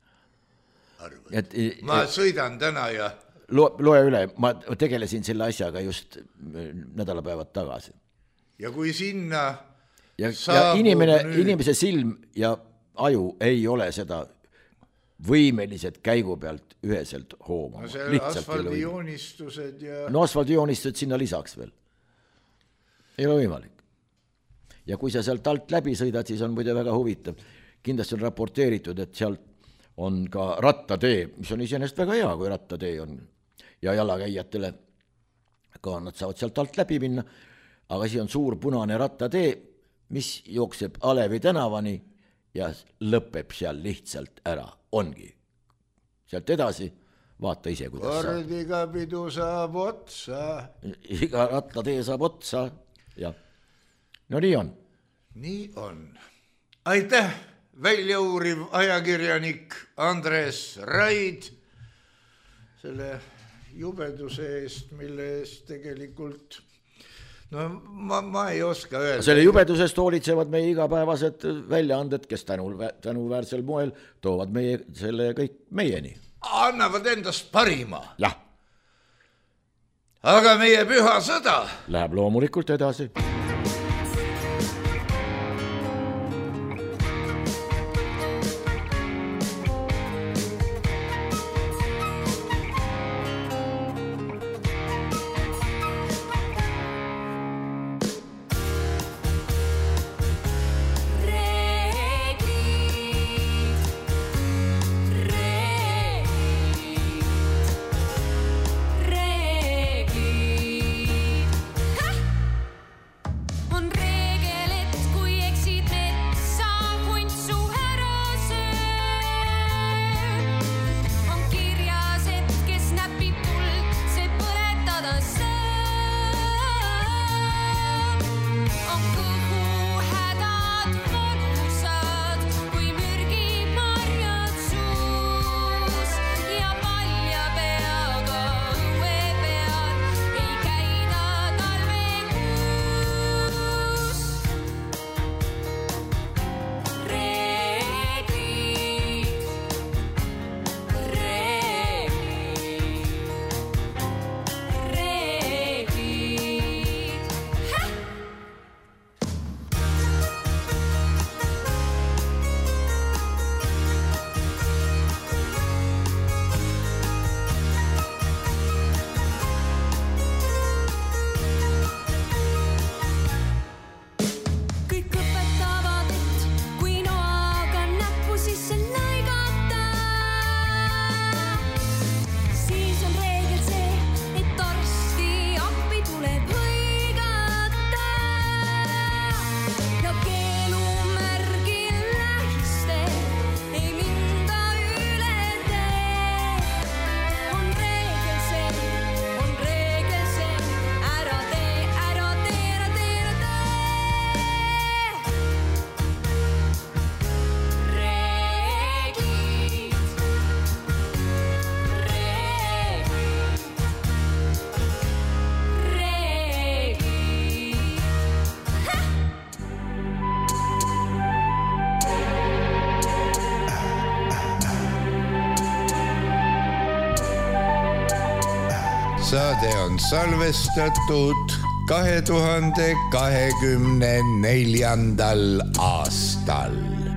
Ma sõidan täna ja... Loe üle, ma tegelesin selle asjaga just nädalapäevad tagasi. Ja kui sinna... Ja inimese silm ja aju ei ole seda võimelised käigu pealt üheselt hoomama. See asfaldijoonistused ja... asfaldijoonistused sinna lisaks veel. Ei ole võimalik. Ja kui sa sealt alt läbi sõidad, siis on muide väga huvitav. Kindlasti on raporteeritud, et sealt on ka rattatee, mis on iseenesest väga hea, kui rattatee on. Ja jalakäijatele ka nad saavad sealt alt läbi minna. aga siis on suur punane rattatee, mis jookseb Alevi tänavani ja lõpeb seal lihtsalt ära, ongi. Sealt edasi vaata ise, kuidas saab. Kord iga pidu saab otsa. Iga rattatee saab otsa ja no nii on. Nii on. Aitäh, väljauuriv ajakirjanik Andres Raid selle jubeduse eest, mille eest tegelikult no ma ei oska öelda. Selle jubedusest hoolitsevad meie igapäevased väljaanded, kes tänuväärsel moel toovad meie selle kõik meieni. Annavad endast parima. Jah. Aga meie püha sõda läheb loomulikult edasi. Saade on salvestatud 2024. aastal.